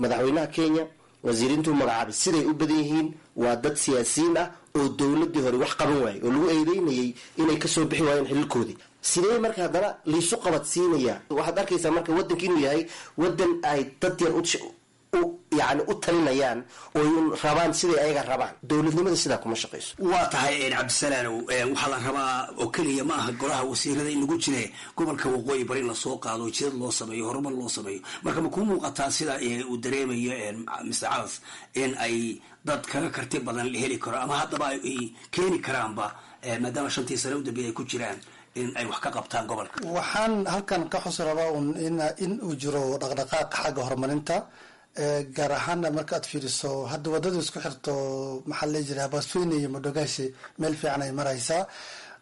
madaxweynaha Kenya wasiiriintuu magacaabay siday u badan yihiin waa dad siyaasiyiin ah oo dowladii hore wax qaban waayey oo lagu eedeynayay inay kasoo bixi waayeen xililkoodii. Sidee marka haddana liisu qabadsiinaya? Waxaad arkaysaa marka wadanka inuu yahay wadan ay dad yar yani u talinayaan oo rabaan siday ayaga rabaan. Dowladnimada sidaa kuma shaqayso. Waa tahay, Cabdisalaanow. Waxaa la rabaa oo keliya ma aha golaha wasiirada in lagu jire gobolka Waqooyi Bari lasoo qaado, jidad loo sameeyo, horumar loo sameeyo. Marka ma kuu muuqataa sida uu dareemayo Mr Calas in ay dad kaga karti badan la heli karo, ama haddaba ay keeni karaanba, maadaama 5-tii sane u dambeeyay ay ku jiraan, in ay wax ka qabtaan gobolka? Waxaan halkan ka xusi rabaa un in uu jiro dhaqdhaqaaq xagga horumarinta, gaar ahaana marka aad fiiriso hadda wadada isku xirto, maxaa la jiraa, Habaswein iyo Modogashe, meel fiican ay maraysaa.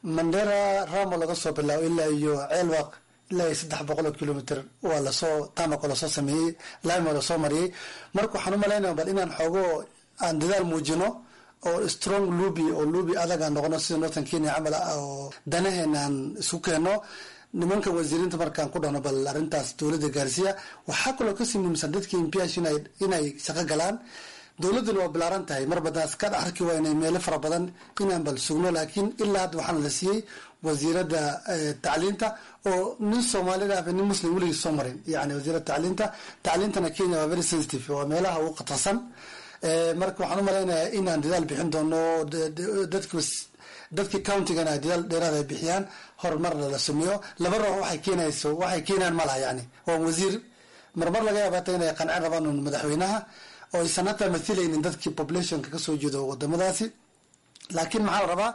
Mandera Ramo laga soo bilaabo ilaa iyo Ceelwaq, ilaa iyo 300 kilomitr waa lasoo tarmac oo lasoo sameeyey, lime oo lasoo mariyey. Marka waxaan u malaynaya bal inaan xoogo aan dadaal muujino oo strong lobby oo lobby adag aan noqono sida Northern Kenya camal oo danaheena aan isku keeno nimanka wasiiriinta. Markaan ku dhahno bal arrintaas dowladda gaarsiiya. Waxaa kaloo kasii muhiimsan dadka MPs inay shaqo galaan. Dowladduna waa bilaaran tahay, mar badan ka dhex arki waa inay meelo fara badan inaan bal sugno, laakiin ilaa hadda waxaana la siiyey wasiiradda tacliinta oo nin Soomaalida ah, nin Muslim weligiis soo marin, yani wasiiradda tacliinta. Tacliintana Kenya waa very sensitive, waa meelaha ugu khatarsan. Marka waxaan u malaynayaa inaan dadaal bixin doono, dadka countigana ay dadaal dheeraad ay bixiyaan, horumarna la sameeyo. Laba ruux waxay keenayso waxay keenayaan ma laha, yani waa wasiir marmar laga yaaba hata inay qancin rabaan un madaxweynaha oo aysan hataa mathilaynin dadkii populationka kasoo jeedo wadamadaasi. Laakiin maxaa la rabaa?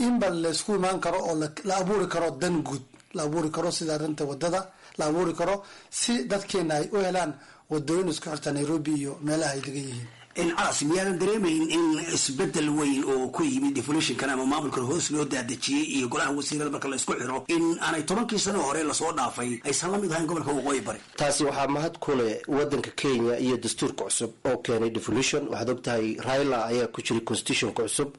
In ba laysku imaan karo oo la abuuri karo dan guud, la abuuri karo sida arrinta wadada la abuuri karo, si dadkeena ay u helaan wadooyin isku xirta Nairobi iyo meelaha ay degan yihiin. Calas, miyaadan dareemayn in isbedel weyn oo ku yimid devolutionkan ama maamulkan hoos loo daadejiyey iyo golaha wasiirada marka la isku xiro in aanay 10kii sano hore lasoo dhaafay aysan la mid ahayn gobolka Waqooyi Bari? Taasi waxaa mahad ku leh wadanka Kenya iyo dastuurka cusub oo keenay devolution. Waxaad ogtahay Raila ayaa ku jiray constitutionka cusub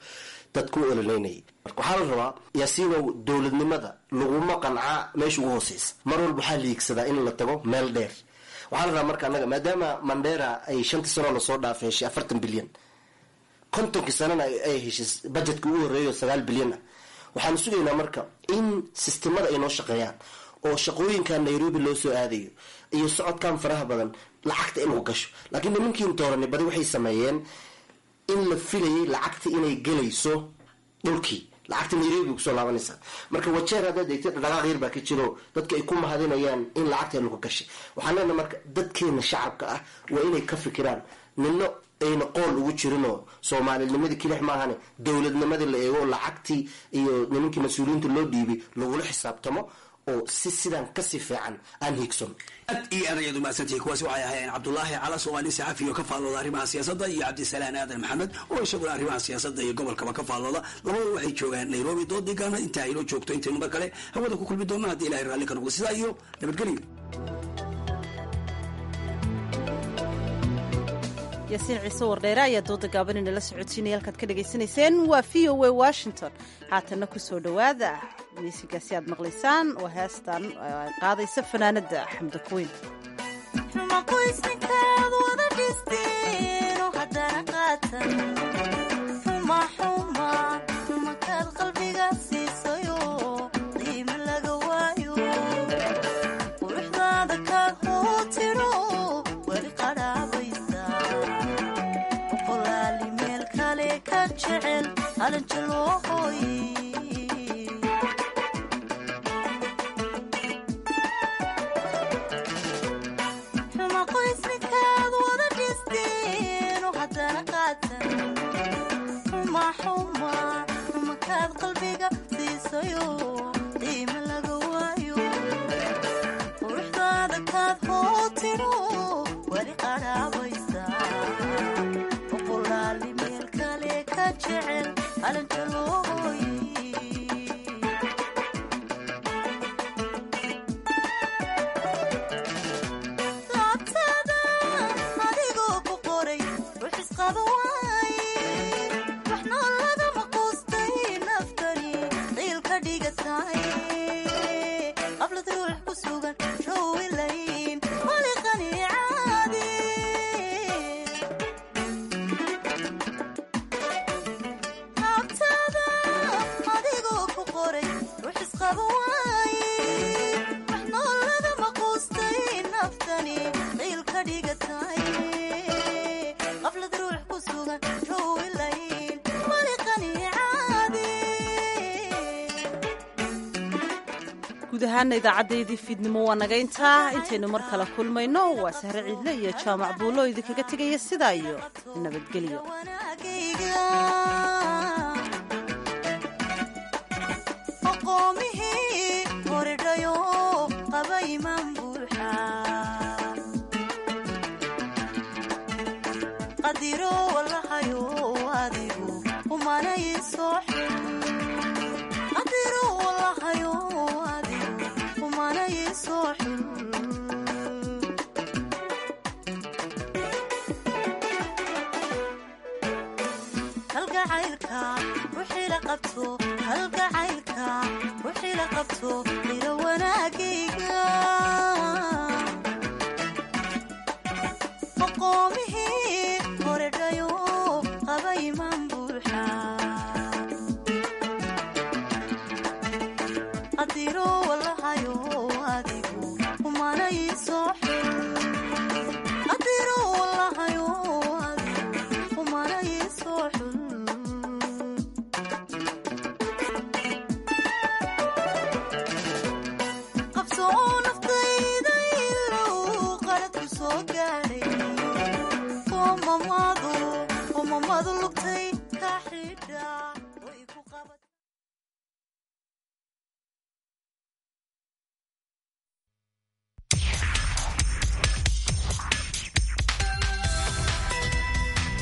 dadku u ololeynayay. Marka waxaa la rabaa, Yaasiinow, dowladnimada laguma qancaa meesha ugu hooseysa. Mar walba waxaa liigsadaa in la tago meel dheer. Waxaa la rabaa marka annaga, maadaama Mandera ay 5tii sano lasoo dhaafay heshay 40 bilyan, 50kii sanana ay heshay budgetka ugu horreeyo 9 bilyan ah, waxaanu sugaynaa marka in sistemada ay noo shaqeeyaan oo shaqooyinkan Nairobi loo soo aadayo iyo socodkan faraha badan lacagta in lagu gasho. Laakiin nimankiin dooranay badi waxay sameeyeen in la filayay lacagta inay gelayso dhulkii, lacagta Nairobi kusoo laabanaysa. Marka Wajeer haddaad eegtid, dhaqaaq yar baa ka jiro, dadka ay ku mahadinayaan in lacagta lagu gashay. Waxaan leenahay marka dadkeena shacabka ah waa inay ka fikiraan, nino ayna qool ugu jirinoo soomaalinimadii kilix maahane, dowladnimadii la eego, lacagtii iyo nimankii mas-uuliyiinta loo dhiibay lagula xisaabtamo oo si sidaan kasii fiican aan hiigson. Aad iyo aad ayaad umahadsantihi. Kuwaasi waxay ahaayeen Cabdulaahi Calas oo ah nin saxafi oo ka faallooda arrimaha siyaasadda iyo Cabdisalaan Aadan Maxamed oo isaguna arrimaha siyaasadda iyo gobolkaba ka faallooda. Labadu waxay joogaan Nairobi. Doodii gaana intaa inoo joogto, intaynu mar kale hawada ku kulmi doonno haddii Ilahay raalli ka noqdo, sidaa iyo nabadgelyo. Yaasiin Ciise Wardheere ayaa dooda gaaban inala socodsiinaya. Halkaad ka dhegaysanayseen waa VOA Washington. Haatanna ku soo dhowaada miisigaasi aad maqlaysaan, waa heestan ay qaadaysa fanaanada Xamda Kuweyn. Guud ahaana idaacaddayadii fiidnimo waa naga intaa. Intaynu mar kale kulmayno, waa Sahre Ciidle iyo Jaamac Buulo idinkaga tegaya sidaa iyo nabadgelyo. Umamadu lugtay ka xidha.